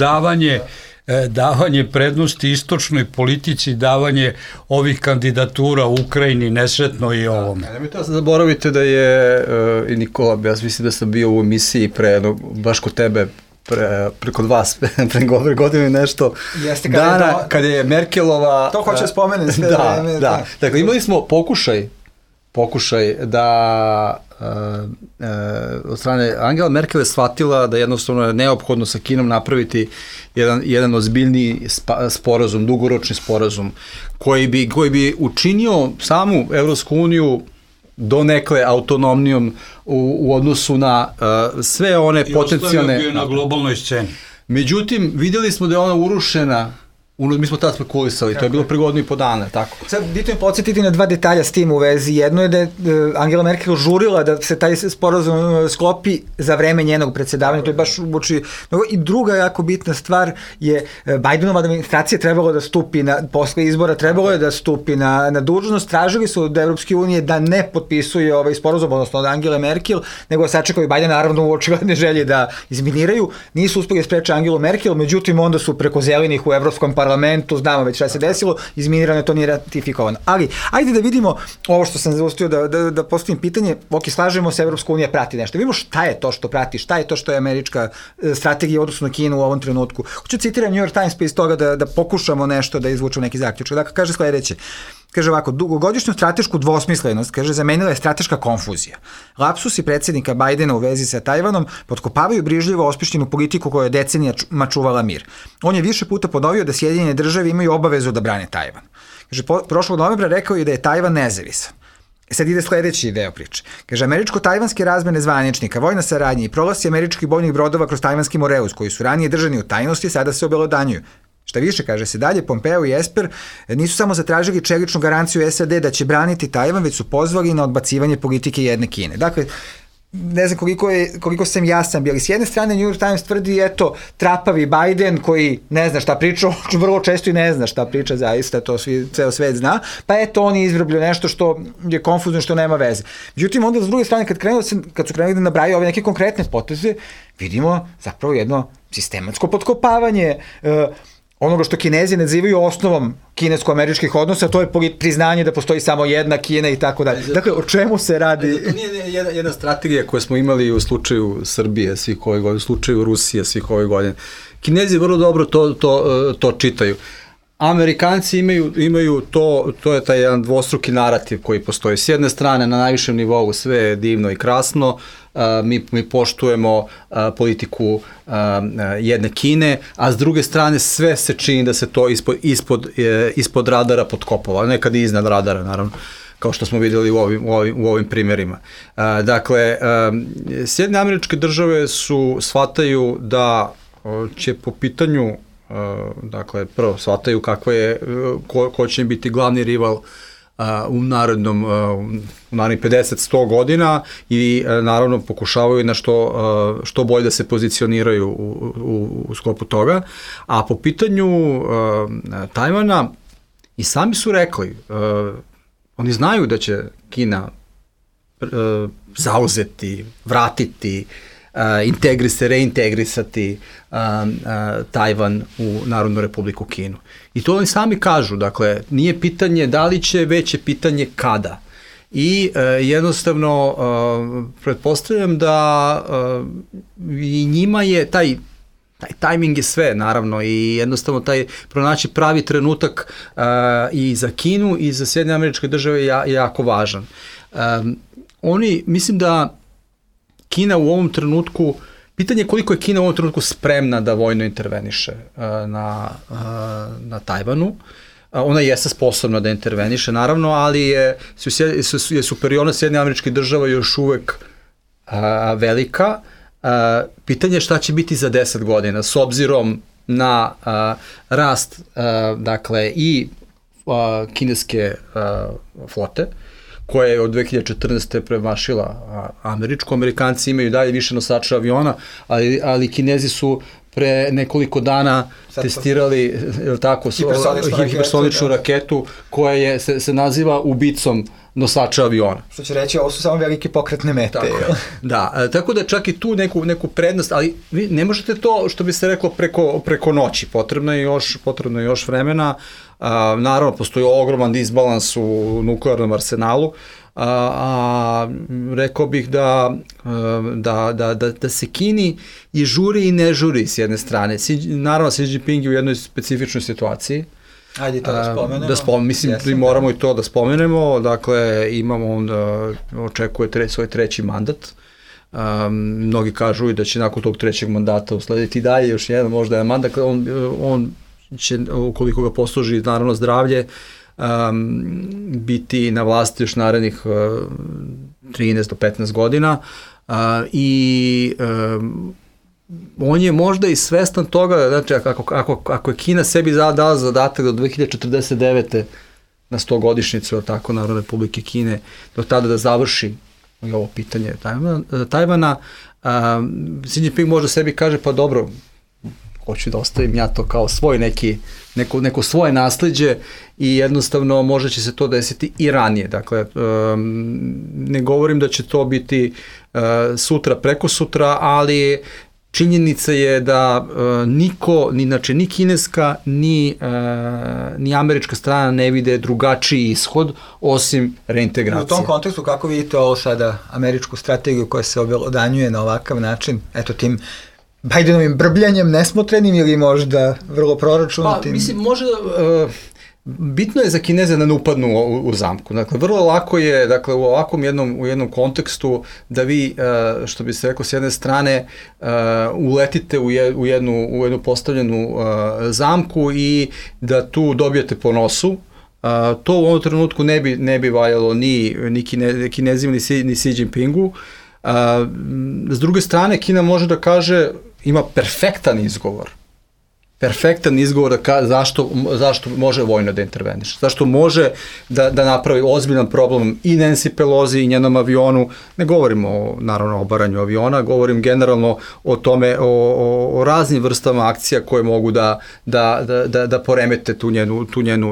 davanje prednosti istočnoj politici, davanje ovih kandidatura u Ukrajini, nesretno i ovome.
Nemojte zaboravite da je i Nikola, ja mislim da sam bio u emisiji baš kod tebe, kod vas, pre godine nešto, dana kada je Merkelova...
To hoće spomenem sve.
Da. Dakle, imali smo pokušaj da od strane Angela Merkel je shvatila da jednostavno je neophodno sa Kinom napraviti jedan ozbiljniji sporazum, dugoročni sporazum, koji bi učinio samu Evropsku uniju donekle autonomnijom u odnosu na sve one potencijalne...
I ostavio bio na globalnoj sceni.
Međutim, vidjeli smo da je ona urušena. Mi smo tada spekulisali, to je bilo pre godinu i po dana, tako.
Sad, bitno je podsjetiti na dva detalja s tim u vezi. Jedno je da je Angela Merkel žurila da se taj sporazum sklopi za vreme njenog predsjedavanja, to je baš uoči. I druga jako bitna stvar je Bidenova administracija trebalo da stupi posle izbora, trebalo je da stupi na dužnost, tražili su od Evropske unije da ne potpisuje ovaj sporazum, odnosno od Angele Merkel, nego sačekaju Biden, naravno u očigledne želje da izminiraju. Nisu uspeli spreče Angelu Merkel, međutim onda su preko zelenih u Evropskom parlamentu, znamo već šta se desilo, izminirano je, to nije ratifikovano. Ali, ajde da vidimo ovo što sam zaustio da postavim pitanje, slažemo se, Evropska unija prati nešto. Vidimo šta je to što prati, šta je to što je američka strategija u odnosu na Kinu u ovom trenutku. Hoću citiram New York Times pa iz toga da pokušamo nešto da izvučemo neki zaključak. Dakle, kaže sledeće. Kaže ovako, dugogodišnju stratešku dvosmislenost, kaže, zamenila je strateška konfuzija. Lapsusi predsjednika Bajdena u vezi sa Tajvanom potkopavaju brižljivo osmišljenu politiku koja je decenijama čuvala mir. On je više puta ponovio da Sjedinjene države imaju obavezu da brane Tajvan. Kaže, prošlog novembra rekao je da je Tajvan nezavisan. Sad ide sledeći deo priče. Kaže, američko-tajvanske razmene zvaničnika, vojna saradnja i prolasi američkih bojnih brodova kroz tajvanski Moreus, koji su ranije držani u tajnosti, sada se obelodanjuju. Šta više, kaže se dalje, Pompeo i Esper nisu samo zatražili čeličnu garanciju SAD da će braniti Tajvan, već su pozvali na odbacivanje politike jedne Kine. Dakle, ne znam koliko sam jasan bili. S jedne strane New York Times tvrdi, eto, trapavi Biden koji ne zna šta priča, vrlo često i ne zna šta priča, zaista, to ceo svet zna, pa eto, on je izvrblio nešto što je konfuzno, što nema veze. Međutim, onda s druge strane, kad su krenuli da nabraju ove neke konkretne poteze, vidimo zapravo jedno sistematsko potkopavanje onoga što Kinezi nazivaju osnovom kinesko-američkih odnosa, to je priznanje da postoji samo jedna Kina i tako dalje. Dakle, o čemu se radi?
To nije jedna strategija koju smo imali u slučaju Srbije svih ove godine, u slučaju Rusije svih ove godine. Kinezi vrlo dobro to čitaju. Amerikanci imaju to je taj jedan dvostruki narativ koji postoji. S jedne strane, na najvišem nivou sve je divno i krasno, mi poštujemo politiku jedne Kine, a s druge strane sve se čini da se to ispod radara potkopava, nekad i iznad radara, naravno, kao što smo vidjeli u ovim primjerima. Dakle, Sjedinjene Američke Države shvataju da će po pitanju, dakle, prvo shvataju ko će biti glavni rival u narednih 50-100 godina i naravno pokušavaju na što bolje da se pozicioniraju u sklopu toga. A po pitanju Tajvana i sami su rekli, oni znaju da će Kina zauzeti, vratiti, reintegrisati Tajvan u Narodnu Republiku Kinu. I to oni sami kažu, dakle, nije pitanje da li će, već je pitanje kada. I jednostavno pretpostavljam da i njima je taj tajming je sve, naravno, i jednostavno pronaći pravi trenutak i za Kinu i za Sjedinjene Američke Države je jako važan. Mislim da Kina u ovom trenutku, pitanje je koliko je Kina u ovom trenutku spremna da vojno interveniše na Tajvanu. Ona jeste sposobna da interveniše, naravno, ali je superiornost Sjedinjenih Američkih Država još uvek velika. Pitanje je šta će biti za 10 godina, s obzirom na rast, dakle, i kineske flote, koja je od 2014. premašila američku. Amerikanci imaju dalje više nosača aviona, ali Kinezi su pre nekoliko dana testirali hipersoničnu raketu koja se naziva ubicom nosača aviona.
Što će reći, ovo su samo velike pokretne mete.
Da, tako da čak i tu neku prednost, ali vi ne možete to, što bi se reklo, preko noći. Potrebno je još vremena. Naravno, postoji ogroman disbalans u nuklearnom arsenalu, a rekao bih da se Kini i žuri i ne žuri s jedne strane. Naravno, Xi Jinping je u jednoj specifičnoj situaciji.
Ajde to da spomenemo.
Mislim, moramo i to da spomenemo. Dakle, on očekuje svoj treći mandat. Mnogi kažu i da će nakon tog trećeg mandata uslediti dalje još jedan možda jedan mandat. On će, ukoliko ga posluži naravno zdravlje, biti na vlasti još narednih 13 do 15 godina i on je možda i svestan toga, znači ako je Kina sebi dala zadatak do 2049. na 100-godišnjicu Narodne Republike Kine, do tada da završi ovo pitanje Tajvana, Xi Jinping možda sebi kaže, pa dobro, hoću da ostavim ja to kao svoj neko svoje nasleđe i jednostavno možda će se to desiti i ranije. Dakle, ne govorim da će to biti sutra, preko sutra, ali činjenica je da niko, ni kineska, ni američka strana ne vide drugačiji ishod osim reintegracije.
U tom kontekstu, kako vidite ovo sada, američku strategiju koja se obelodanjuje na ovakav način, eto tim Bidenovim brbljanjem nesmotrenim ili možda vrlo proračunatim?
Mislim, možda bitno je za Kineze da ne upadnu u zamku. Dakle, vrlo lako je, dakle, u ovakvom jednom kontekstu da vi, što bi se rekao, s jedne strane uletite u jednu postavljenu zamku i da tu dobijete po nosu. To u ovom trenutku ne bi valjalo ni Kinezima, ni Xi Jinpingu. S druge strane, Kina može da kaže, ima perfektan izgovor zašto može vojno da interveniše, zašto može da napravi ozbiljan problem i Nancy Pelosi i njenom avionu. Ne govorimo naravno o obaranju aviona, govorim generalno o tome, o raznim vrstama akcija koje mogu da poremete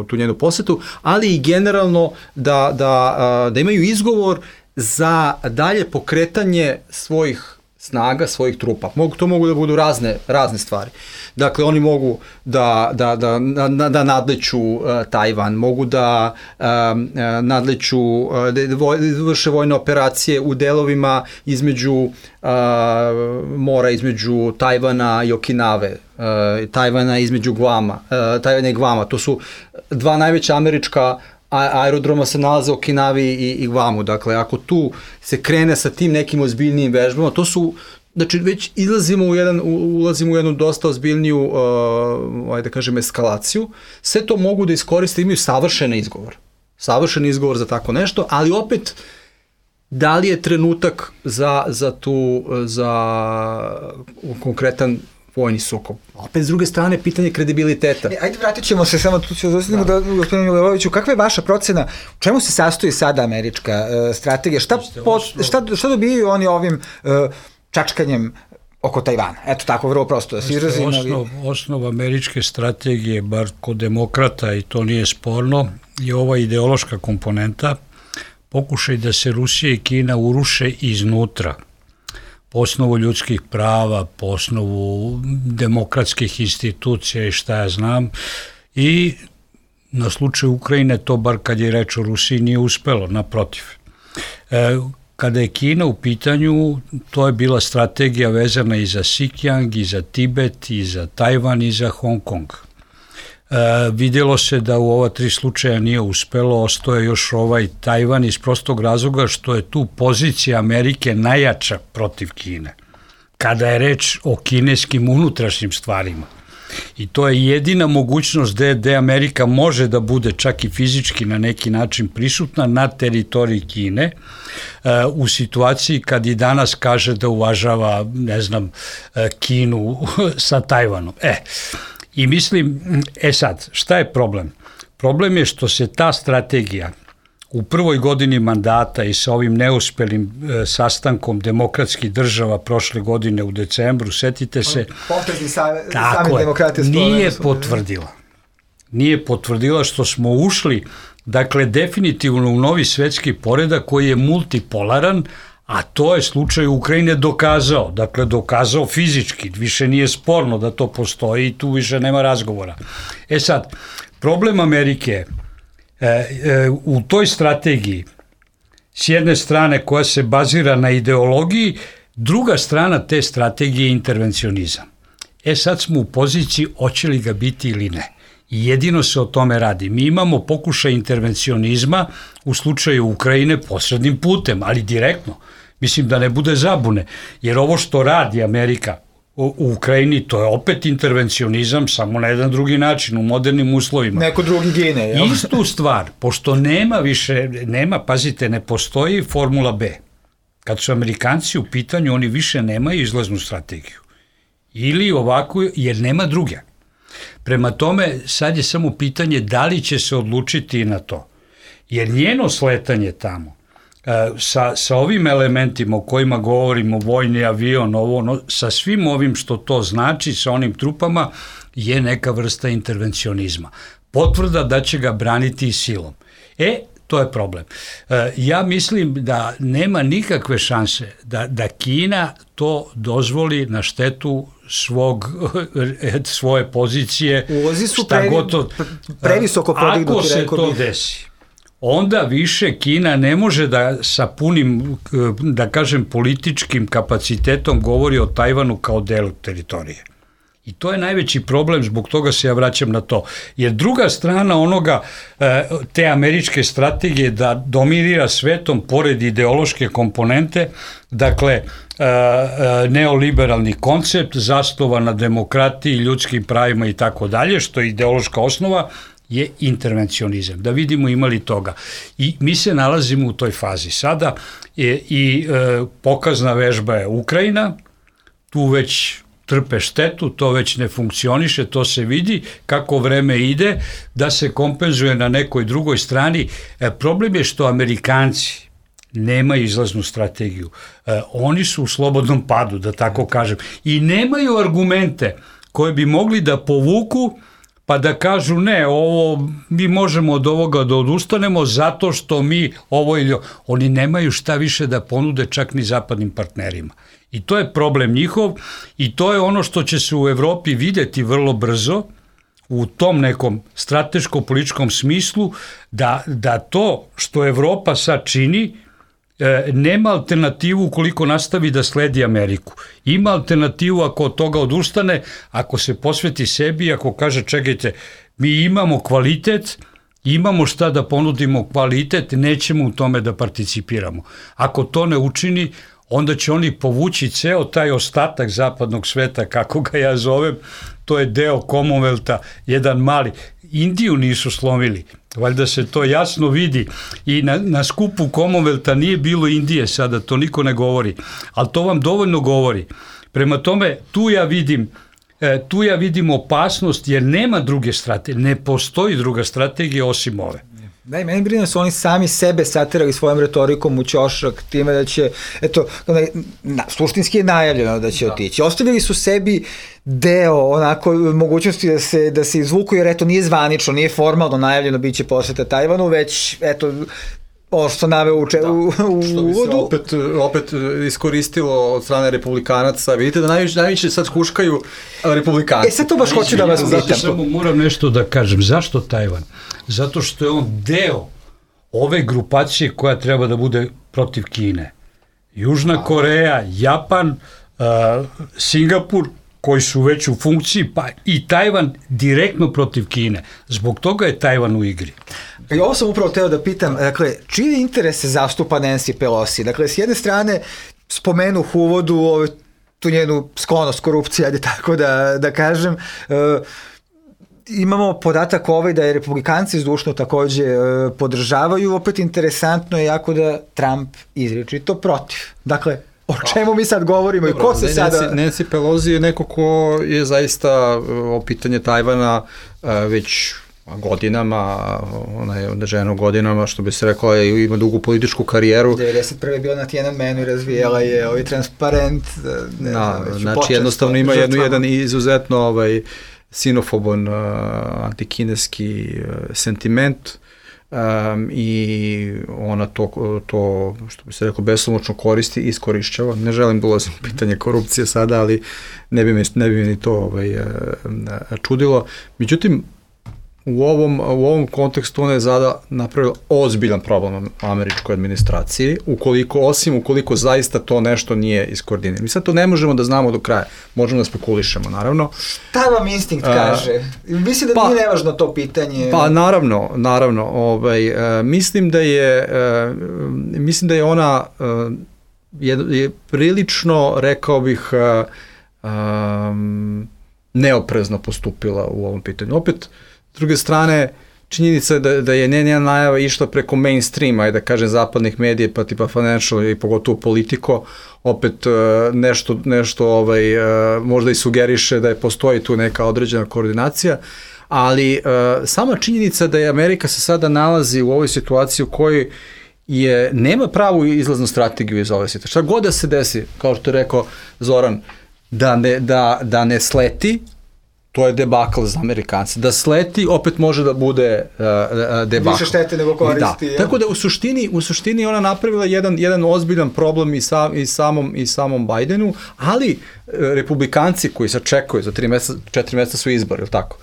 tu njenu posetu, ali i generalno da imaju izgovor za dalje pokretanje svojih snaga, svojih trupa. To mogu da budu razne stvari. Dakle, oni mogu da nadleću Tajvan, mogu da nadleću, da vrše vojne operacije u delovima između mora, između Tajvana i Okinave, Tajvana između Tajvana i Gvama. To su dva najveća američka aerodroma se nalaze u Okinavi i Gvamu. Dakle, ako tu se krene sa tim nekim ozbiljnijim vežbama, to su, znači, već ulazimo u jednu dosta ozbiljniju, da kažem, eskalaciju. Sve to mogu da iskoriste, imaju savršen izgovor za tako nešto, ali opet, da li je trenutak za konkretan vojni sukob? Opet, s druge strane, pitanje kredibiliteta.
Ajde, vratit ćemo se, samo tu ću zastaviti da gospodinu Milivojeviću, kakva je vaša procena, u čemu se sastoji sada američka strategija? Šta dobijaju oni ovim čačkanjem oko Tajvana? Eto tako, vrlo prosto da se izrazim.
Osnov američke strategije, bar kod demokrata, i to nije sporno, je ova ideološka komponenta, pokušaj da se Rusija i Kina uruše iznutra, po osnovu ljudskih prava, po osnovu demokratskih institucija i šta ja znam, i na slučaju Ukrajine to, bar kad je reč o Rusiji, nije uspelo, naprotiv. Kada je Kina u pitanju, to je bila strategija vezana i za Xinjiang, i za Tibet, i za Tajvan, i za Hong Kong. Vidjelo se da u ova 3 slučaja nije uspelo, ostao je još ovaj Tajvan iz prostog razloga što je tu pozicija Amerike najjača protiv Kine, kada je reč o kineskim unutrašnjim stvarima. I to je jedina mogućnost gde Amerika može da bude čak i fizički na neki način prisutna na teritoriji Kine, u situaciji kad i danas kaže da uvažava, ne znam, Kinu sa Tajvanom. I mislim, sad, šta je problem? Problem je što se ta strategija u prvoj godini mandata i sa ovim neuspelim sastankom demokratskih država prošle godine u decembru, setite se, tako je, nije potvrdila što smo ušli, dakle, definitivno u novi svetski poredak koji je multipolaran, a to je slučaj Ukrajine dokazao fizički, više nije sporno da to postoji i tu više nema razgovora. Sad, problem Amerike u toj strategiji, s jedne strane koja se bazira na ideologiji, druga strana te strategije je intervencionizam. Sad smo u poziciji hoće li ga biti ili ne. I jedino se o tome radi. Mi imamo pokušaj intervencionizma u slučaju Ukrajine posrednim putem, ali direktno. Mislim da ne bude zabune, jer ovo što radi Amerika u Ukrajini, to je opet intervencionizam, samo na jedan drugi način, u modernim uslovima.
Neko drugi gine, jel?
Istu stvar, pošto pazite, ne postoji formula B. Kad su Amerikanci u pitanju, oni više nemaju izlaznu strategiju. Ili ovako, jer nema druge. Prema tome, sad je samo pitanje da li će se odlučiti na to. Jer njeno sletanje tamo, sa ovim elementima o kojima govorimo, vojni avion, sa svim ovim što to znači, sa onim trupama, je neka vrsta intervencionizma. Potvrda da će ga braniti silom. To je problem. Ja mislim da nema nikakve šanse da Kina to dozvoli na štetu svoje pozicije.
Uvozi su previsoko podignuti, rekao bih.
Ako se to desi, onda više Kina ne može da sa punim, da kažem, političkim kapacitetom govori o Tajvanu kao delu teritorije. I to je najveći problem, zbog toga se ja vraćam na to. Jer druga strana te američke strategije da dominira svetom pored ideološke komponente, dakle, neoliberalni koncept zasnovan na demokratiji, ljudskim pravima i tako dalje, što je ideološka osnova, je intervencionizam. Da vidimo ima li toga. I mi se nalazimo u toj fazi. Sada i pokazna vežba je Ukrajina, tu već trpe štetu, to već ne funkcioniše, to se vidi kako vreme ide, da se kompenzuje na nekoj drugoj strani. Problem je što Amerikanci nemaju izlaznu strategiju. Oni su u slobodnom padu, da tako kažem. I nemaju argumente koje bi mogli da povuku pa da kažu ne, ovo mi možemo od ovoga da odustanemo zato što mi ovo ili oni nemaju šta više da ponude čak ni zapadnim partnerima. I to je problem njihov i to je ono što će se u Evropi videti vrlo brzo u tom nekom strateško-političkom smislu da to što Evropa sad čini nema alternativu ukoliko nastavi da sledi Ameriku. Ima alternativu ako od toga odustane, ako se posveti sebi, ako kaže čekajte, mi imamo kvalitet, imamo šta da ponudimo kvalitet, nećemo u tome da participiramo. Ako to ne učini, onda će oni povući ceo taj ostatak zapadnog sveta, kako ga ja zovem, to je deo Commonwealtha, jedan mali. Indiju nisu slomili, valjda se to jasno vidi i na skupu Commonwealtha nije bilo Indije sada, to niko ne govori, ali to vam dovoljno govori. Prema tome, tu ja vidim opasnost jer nema druge strategije, ne postoji druga strategija osim ove.
Da, i meni brine su oni sami sebe satirali svojom retorikom u ćošak, time da će, eto, suštinski je najavljeno da će otići. Ostavili su sebi deo onako mogućnosti da se izvuku, jer eto nije zvanično, nije formalno najavljeno biće poseta Tajvanu, već eto ovo što naveo u uvodu.
Što bi se opet iskoristilo od strane republikanaca. Vidite da najviše sad huškaju republikanci.
Sad to baš hoću da vas pitam.
Samo moram nešto da kažem. Zašto Tajvan? Zato što je on deo ove grupacije koja treba da bude protiv Kine. Južna Koreja, Japan, Singapur, koji su već u funkciji, pa i Tajvan direktno protiv Kine. Zbog toga je Tajvan u igri.
I ovo sam upravo teo da pitam, dakle, čije interese zastupa Nancy Pelosi? Dakle, s jedne strane, spomenuh u uvodu tu njenu sklonost korupcije, ajde tako da kažem, imamo podatak da je republikanci zdušno takođe podržavaju, opet interesantno je jako da Trump izričito protiv. Dakle, o čemu mi sad govorimo i ko se sada...
Nancy Pelosi je neko ko je zaista o pitanje Tajvana već godinama, ona je žena godinama, što bi se rekla, ima dugu političku karijeru.
91. je bila na Tiananmenu i razvijela je transparent.
Znači jednostavno ima jedan izuzetno sinofoban antikineski sentiment i ona to što bi se rekao beslomoćno koristi i iskorišćava. Ne želim da ulazim u pitanje korupcije sada, ali ne bi me ni to čudilo. Međutim, u ovom kontekstu ona je zada napravila ozbiljan problem američkoj administraciji, ukoliko zaista to nešto nije iskoordinirano. Mi sad to ne možemo da znamo do kraja, možemo da spekulišemo, naravno. Šta
vam instinkt kaže? Mislim da nije nevažno to pitanje.
Pa naravno. Mislim da je ona je prilično, rekao bih, neoprezno postupila u ovom pitanju. Opet, s druge strane, činjenica je da je njena najava išla preko mainstreama, da kažem zapadnih medija, pa tipa Financial i pogotovo Politico, opet nešto možda i sugeriše da postoji tu neka određena koordinacija, ali sama činjenica da je Amerika se sada nalazi u ovoj situaciji u kojoj nema pravu izlaznu strategiju iz ove situacije. Šta god da se desi, kao što je rekao Zoran, da ne sleti, to je debakl za Amerikanci. Da sleti, opet može da bude debakl.
Više štete nego koristi.
Da. Tako da u suštini ona napravila jedan ozbiljan problem i samom Bidenu, ali republikanci koji sad čekaju, za 4 meseca su izbori, ili tako?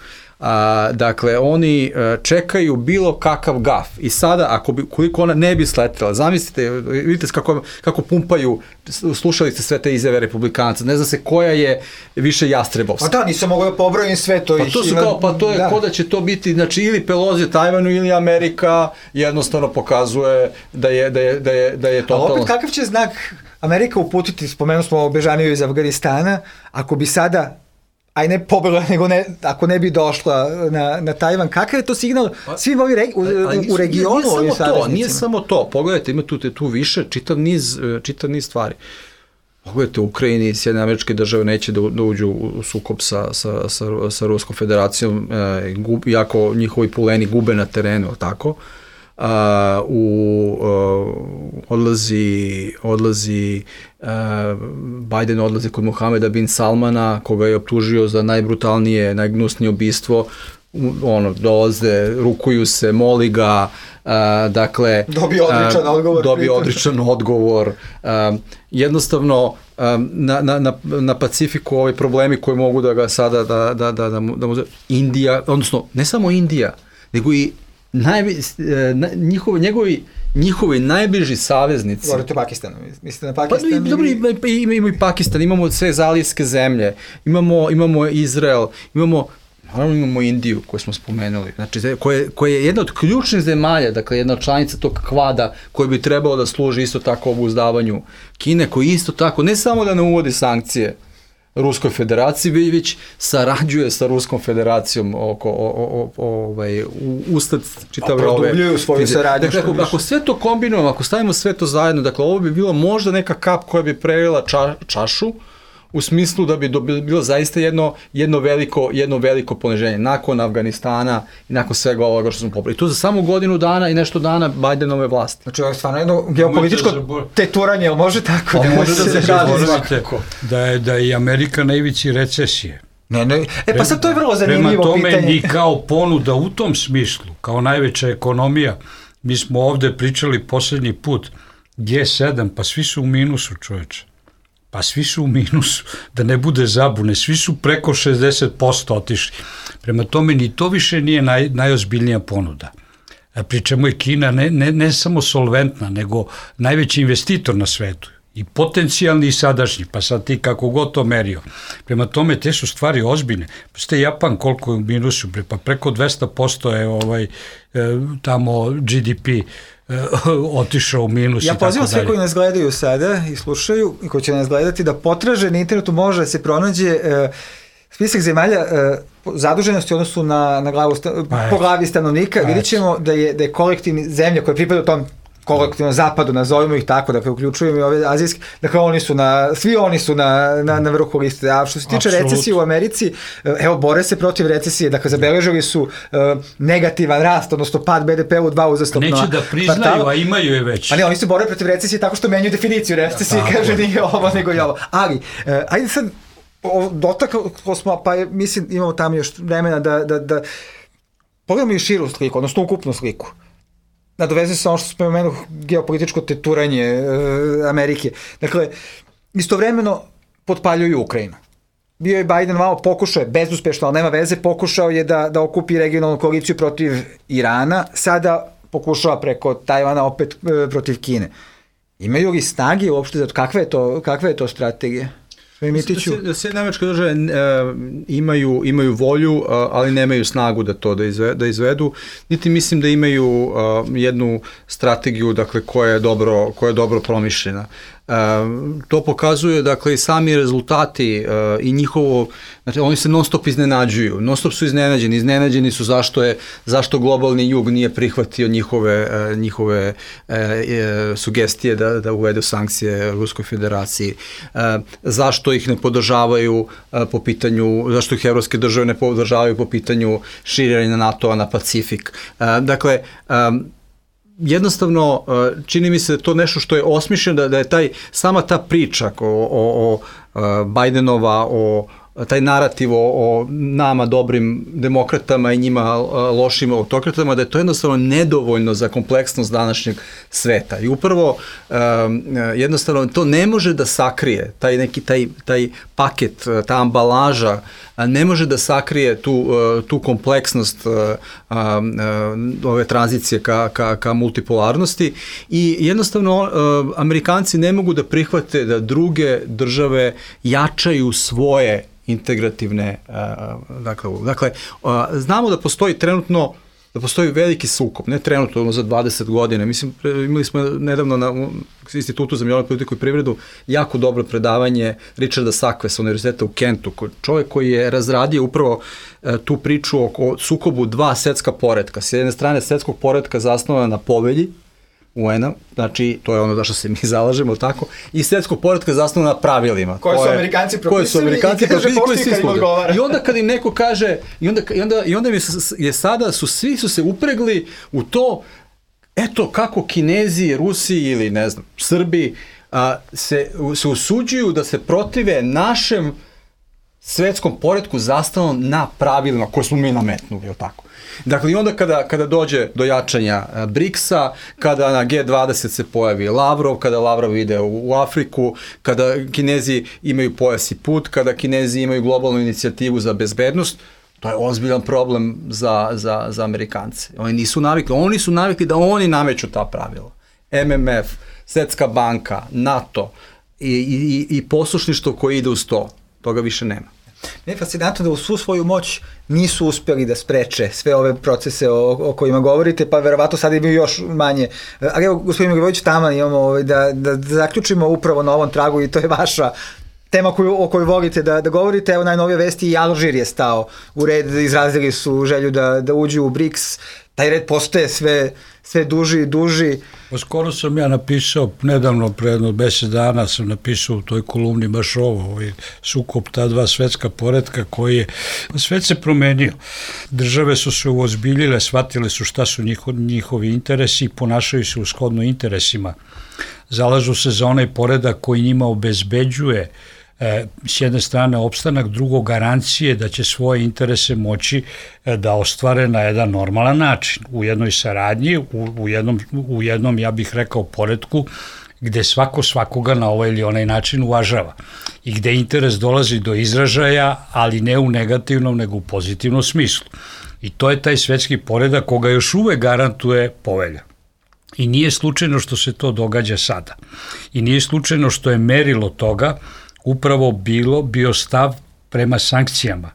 Dakle, oni čekaju bilo kakav gaf i sada, koliko ona ne bi sletela, zamislite, vidite kako pumpaju, slušali ste sve te izjave republikanca, ne zna se koja je više jastrebovska.
Pa da, nisam mogao da pobrojim sve to.
To je ko da će to biti, znači ili Pelosi Tajvanu ili Amerika jednostavno pokazuje da je totalno...
Ali opet kakav će znak Amerika uputiti, spomenuo smo Bežaniju iz Afganistana, ako bi sada ne pobegla, nego ako ne bi došla na Tajvan, kakav je to signal svim ovim u regionu?
Nije samo to, pogledajte, ima tu više, čitav niz stvari. Pogledajte, u Ukrajini Sjedinjene Američke Države neće da uđu u sukob sa Ruskom federacijom, iako njihovi puleni gube na terenu, tako? Biden odlazi kod Mohameda bin Salmana, koga je optužio za najbrutalnije, najgnusnije ubistvo. dolaze, rukuju se, moli ga, dakle... Dobije odličan odgovor. Jednostavno, na Pacifiku ovi problemi koji mogu da ga sada, da mu... Indija, odnosno, ne samo Indija, nego i njihovi najbliži saveznici.
Govorite o Pakistanu, mislite na Pakistan?
Dobro, imamo i Pakistan, imamo sve zalivske zemlje, imamo Izrael, imamo Indiju koju smo spomenuli, znači koja je jedna od ključnih zemalja, dakle jedna od članica tog kvada koji bi trebalo da služi isto tako obuzdavanju Kine, koji isto tako ne samo da ne uvodi sankcije Ruskoj federaciji, već sarađuje sa Ruskom federacijom ustad čitave ove...
Produbljuju svoju saradnju.
Dakle, ako sve to kombinujemo, ako stavimo sve to zajedno, dakle, ovo bi bilo možda neka kap koja bi prelila čašu, u smislu da bi bilo zaista jedno veliko poniženje nakon Afganistana i nakon svega ovoga što smo popravili. I to za samo godinu dana i nešto dana Bidenove vlasti.
Znači, ovo je stvarno jedno geopolitičko teturanje, ali može tako?
Može da se zaboravite da je i Amerika na ivici recesije.
Ne. Pa sad to je vrlo zanimljivo pitanje.
Prema tome, ni kao ponuda u tom smislu, kao najveća ekonomija, mi smo ovde pričali poslednji put, G7, pa svi su u minusu, čoveče. Pa svi su u minusu, da ne bude zabune, svi su preko 60% otišli. Prema tome, ni to više nije najozbiljnija ponuda. Pri čemu je Kina ne samo solventna, nego najveći investitor na svetu. I potencijalni i sadašnji, pa sad ti kako god to merio. Prema tome, te su stvari ozbiljne. Pa ste Japan koliko je u minusu, pa preko 200% je tamo GDP otišao u minus i tako dalje.
Ja pozivam sve koji nas gledaju sada i slušaju i koji će nas gledati da potraže na internetu, može da se pronađe spisak zemalja zaduženosti u odnosu na glavu, po glavi stanovnika. Vidjet ćemo da je kolektivni zemlja koja pripada tom kolektivnom zapadu, nazovimo ih tako, dakle uključujemo i ove azijske, dakle svi oni su na vrhu liste. A što se tiče recesije u Americi, evo, bore se protiv recesije, dakle zabeležili su negativan rast, odnosno pad BDP-a u 2 uzastopna
kvartala. Neće da priznaju, a imaju je već.
Ali oni se bore protiv recesije tako što menjaju definiciju recesije, kaže nije ovo nego i ovo. Ali, ajde sad, dotaklo smo, pa mislim imamo tamo još vremena da pogledamo i širu sliku, odnosno ukupnu sliku. Nadovezuje se ono što spomenuo geopolitičko teturanje Amerike. Dakle, istovremeno potpaljuju Ukrajinu. Bio je Biden malo pokušao, bezuspešno, ali nema veze, pokušao je da okupi regionalnu koaliciju protiv Irana, sada pokušava preko Tajvana opet protiv Kine. Imaju li snage uopšte, kakva je to strategija?
Sjedinjene Američke Države imaju volju, ali nemaju snagu da izvedu, niti mislim da imaju jednu strategiju, dakle, koja je dobro promišljena. To pokazuje, dakle, i sami rezultati i njihovo, znači, oni se non stop iznenađuju, non stop su iznenađeni su zašto globalni jug nije prihvatio njihove sugestije da uvedu sankcije Ruskoj federaciji, zašto ih ne podržavaju po pitanju, zašto ih evropske države ne podržavaju po pitanju širenja NATO-a na Pacifik. Dakle, jednostavno, čini mi se da to nešto što je osmišljeno, da je sama ta priča o Bidenova, taj narativ o nama dobrim demokratama i njima lošim autokratama, da je to jednostavno nedovoljno za kompleksnost današnjeg sveta. I upravo jednostavno to ne može da sakrije, taj paket, ta ambalaža ne može da sakrije tu kompleksnost ove tranzicije ka multipolarnosti i jednostavno Amerikanci ne mogu da prihvate da druge države jačaju svoje integrativne, dakle, znamo da postoji trenutno, da postoji veliki sukob, ne trenutno, za 20 godina. Mislim, imali smo nedavno na Institutu za međunarodnu politiku i privredu jako dobro predavanje Richarda Sakve sa Univerziteta u Kentu, čovjek koji je razradio upravo tu priču o sukobu dva svetska poretka. S jedne strane svetskog poretka zasnovana na povelji UN-a, znači to je ono za što se mi zalažemo, tako, i svetskog poretka zasnovana na pravilima.
Koje su Amerikanci propisali i kaže pošti kad im odgovara.
I onda kad im neko kaže, i onda je sada, svi su se upregli u to, eto kako Kinezi, Rusi ili ne znam, Srbi se usuđuju da se protive našem svetskom poretku zastalom na pravilima koje smo mi nametnuli, je li tako? Dakle, i onda kada dođe do jačanja BRICS-a, kada na G20 se pojavi Lavrov, kada Lavrov ide u Afriku, kada Kinezi imaju pojas i put, kada Kinezi imaju globalnu inicijativu za bezbednost, to je ozbiljan problem za Amerikance. Oni su navikli da oni nameću ta pravila. MMF, Svetska banka, NATO i poslušništvo koje ide uz to. Toga više nema.
Ne je fascinantno da u svu svoju moć nisu uspjeli da spreče sve ove procese o kojima govorite, pa verovatno sad imaju još manje. Ali evo, gospodin Milivojević, taman imamo da zaključimo upravo na ovom tragu i to je vaša tema o kojoj volite da govorite. Evo, najnovije vesti, i Alžir je stao u red, izrazili su želju da uđu u BRICS. Taj red postaje sve duži i duži.
Skoro sam ja napisao, nedavno, pre jedno 10 dana sam napisao u toj kolumni baš ovo, sukob ta dva svetska poretka koji je, svet se promenio. Države su se uozbiljile, shvatile su šta su njihovi interesi i ponašaju se u shodno interesima. Zalažu se za onaj poredak koji njima obezbeđuje s jedne strane opstanak, drugo garancije da će svoje interese moći da ostvare na jedan normalan način, u jednoj saradnji, u jednom, ja bih rekao, poretku gde svako svakoga na ovaj ili onaj način uvažava i gde interes dolazi do izražaja, ali ne u negativnom, nego u pozitivnom smislu. I to je taj svetski poredak koga još uvek garantuje povelja. I nije slučajno što se to događa sada. I nije slučajno što je merilo toga upravo bio stav prema sankcijama.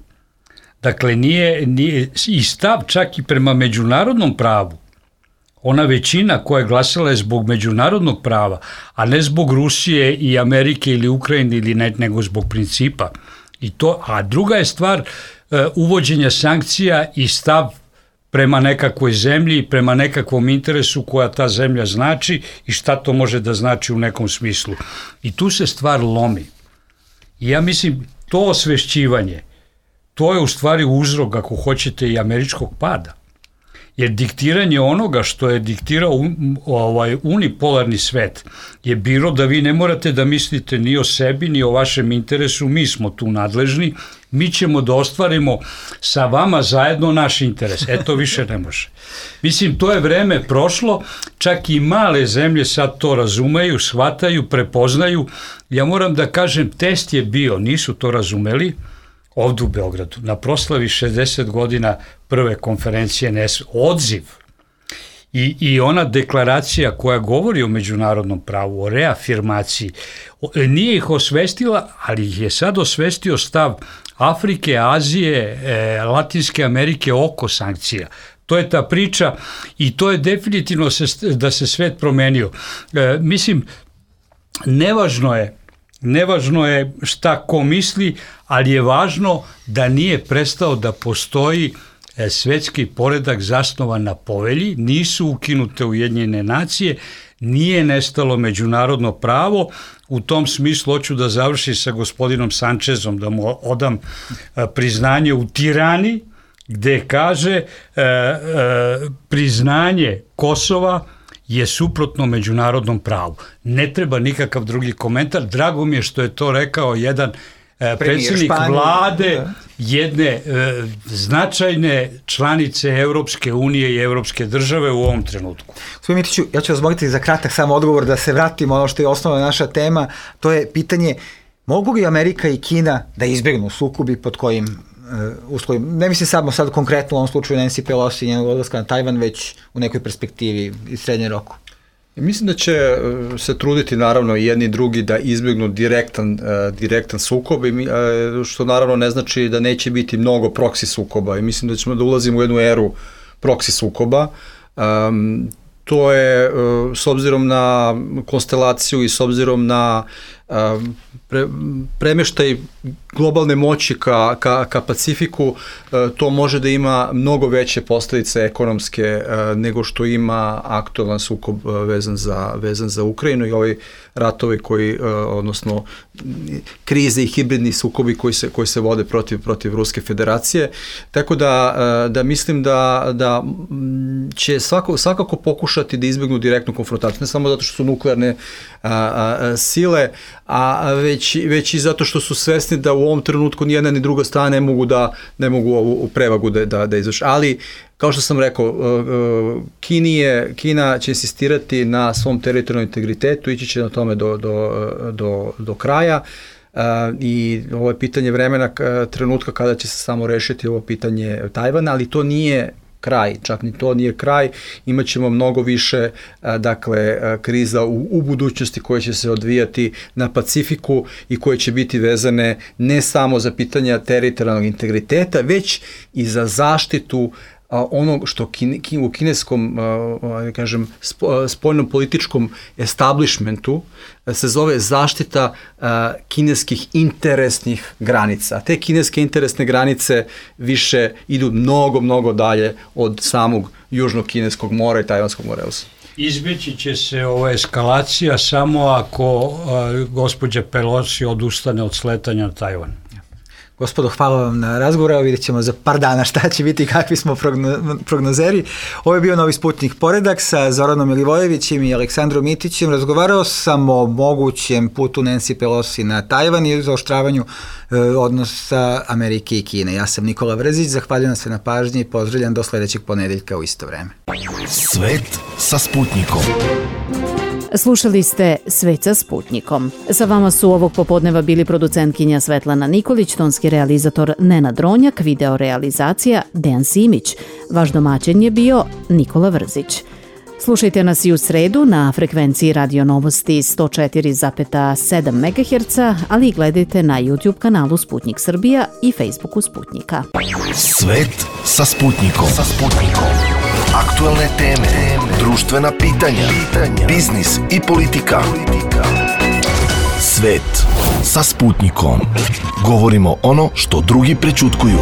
Dakle, nije i stav čak i prema međunarodnom pravu. Ona većina koja je glasala je zbog međunarodnog prava, a ne zbog Rusije i Amerike ili Ukrajine ili nego zbog principa. A druga je stvar uvođenja sankcija i stav prema nekakvoj zemlji, prema nekakvom interesu koja ta zemlja znači i šta to može da znači u nekom smislu. I tu se stvar lomi. I ja mislim, to osvešćivanje, to je u stvari uzrok, ako hoćete, i američkog pada. Jer diktiranje onoga što je diktirao unipolarni svet je bilo da vi ne morate da mislite ni o sebi, ni o vašem interesu, mi smo tu nadležni, mi ćemo da ostvarimo sa vama zajedno naš interes. To više ne može. Mislim, to je vreme prošlo, čak i male zemlje sad to razumeju, shvataju, prepoznaju. Ja moram da kažem, test je bio, nisu to razumeli, ovdje u Beogradu, na proslavi 60 godina prve konferencije odziv i ona deklaracija koja govori o međunarodnom pravu, o reafirmaciji, nije ih osvestila, ali ih je sad osvestio stav Afrike, Azije, Latinske Amerike oko sankcija. To je ta priča i to je definitivno da se svet promenio. Mislim, nevažno je šta ko misli, ali je važno da nije prestao da postoji svetski poredak zasnovan na povelji, nisu ukinute Ujedinjene nacije, nije nestalo međunarodno pravo. U tom smislu hoću da završim sa gospodinom Sančezom, da mu odam priznanje u Tirani, gde kaže priznanje Kosova je suprotno međunarodnom pravu. Ne treba nikakav drugi komentar. Drago mi je što je to rekao jedan predsjednik vlade jedne značajne članice Evropske unije i Evropske države u ovom trenutku.
Gospodin Mitiću, ja ću vas moliti za kratak samo odgovor da se vratimo ono što je osnovna naša tema, to je pitanje mogu li Amerika i Kina da izbjegnu sukobi pod kojim uslovima, ne mislim samo sad konkretno u ovom slučaju Nancy Pelosi i njenog odlaska na Tajvan, već u nekoj perspektivi i srednjem roku?
Mislim da će se truditi naravno i jedni i drugi da izbjegnu direktan sukob, što naravno ne znači da neće biti mnogo proksi sukoba i mislim da ćemo da ulazimo u jednu eru proksi sukoba. To je s obzirom na konstelaciju i s obzirom na premeštaj globalne moći ka Pacifiku, to može da ima mnogo veće posljedice ekonomske nego što ima aktualan sukob vezan za Ukrajinu i ovi ratovi odnosno krize i hibridni sukobi koji se vode protiv Ruske federacije. Tako da mislim da će svakako pokušati da izbjegnu direktnu konfrontaciju, ne samo zato što su nuklearne sile, a već i zato što su svesni da u ovom trenutku ni jedna ni druga strana ne mogu ovu prevagu da izvrši. Ali, kao što sam rekao, Kina će insistirati na svom teritorijalnom integritetu, ići će na tome do kraja. I ovo je pitanje vremena, trenutka kada će se samo rešiti ovo pitanje Tajvana, ali to nije kraj, čak ni to nije kraj, imaćemo mnogo više kriza u budućnosti koje će se odvijati na Pacifiku i koje će biti vezane ne samo za pitanja teritorijalnog integriteta, već i za zaštitu onog što u kineskom, kažem, spoljnom političkom establishmentu se zove zaštita kineskih interesnih granica. Te kineske interesne granice više idu mnogo dalje od samog Južnog kineskog mora i Tajvanskog mora.
Izbjeći će se ova eskalacija samo ako gospođa Pelosi odustane od sletanja na Tajvan.
Gospodo, hvala vam na razgovor, vidjet ćemo za par dana šta će biti, kakvi smo prognozeri. Ovo je bio Novi Sputnik Poredak sa Zoranom Milivojevićem i Aleksandrom Mitićem. Razgovarao sam o mogućem putu Nancy Pelosi na Tajvan i zaoštravanju odnosa Amerike i Kine. Ja sam Nikola Vrzić, zahvaljujem se na pažnji i pozdravljam do sledećeg ponedeljka u isto vreme.
Svet sa Sputnikom.
Slušali ste Svet sa Sputnikom. Sa vama su ovog popodneva bili producentkinja Svetlana Nikolić, tonski realizator Nenad Ronjak, video realizacija Dejan Simić. Vaš domaćin je bio Nikola Vrzić. Slušajte nas i u sredu na frekvenciji Radio Novosti 104,7 MHz, ali i gledajte na YouTube kanalu Sputnik Srbija i Facebooku Sputnika.
Svet sa Sputnikom. Aktualne teme, društvena pitanja, biznis i politika. Svet sa Sputnikom. Govorimo ono što drugi prećutkuju.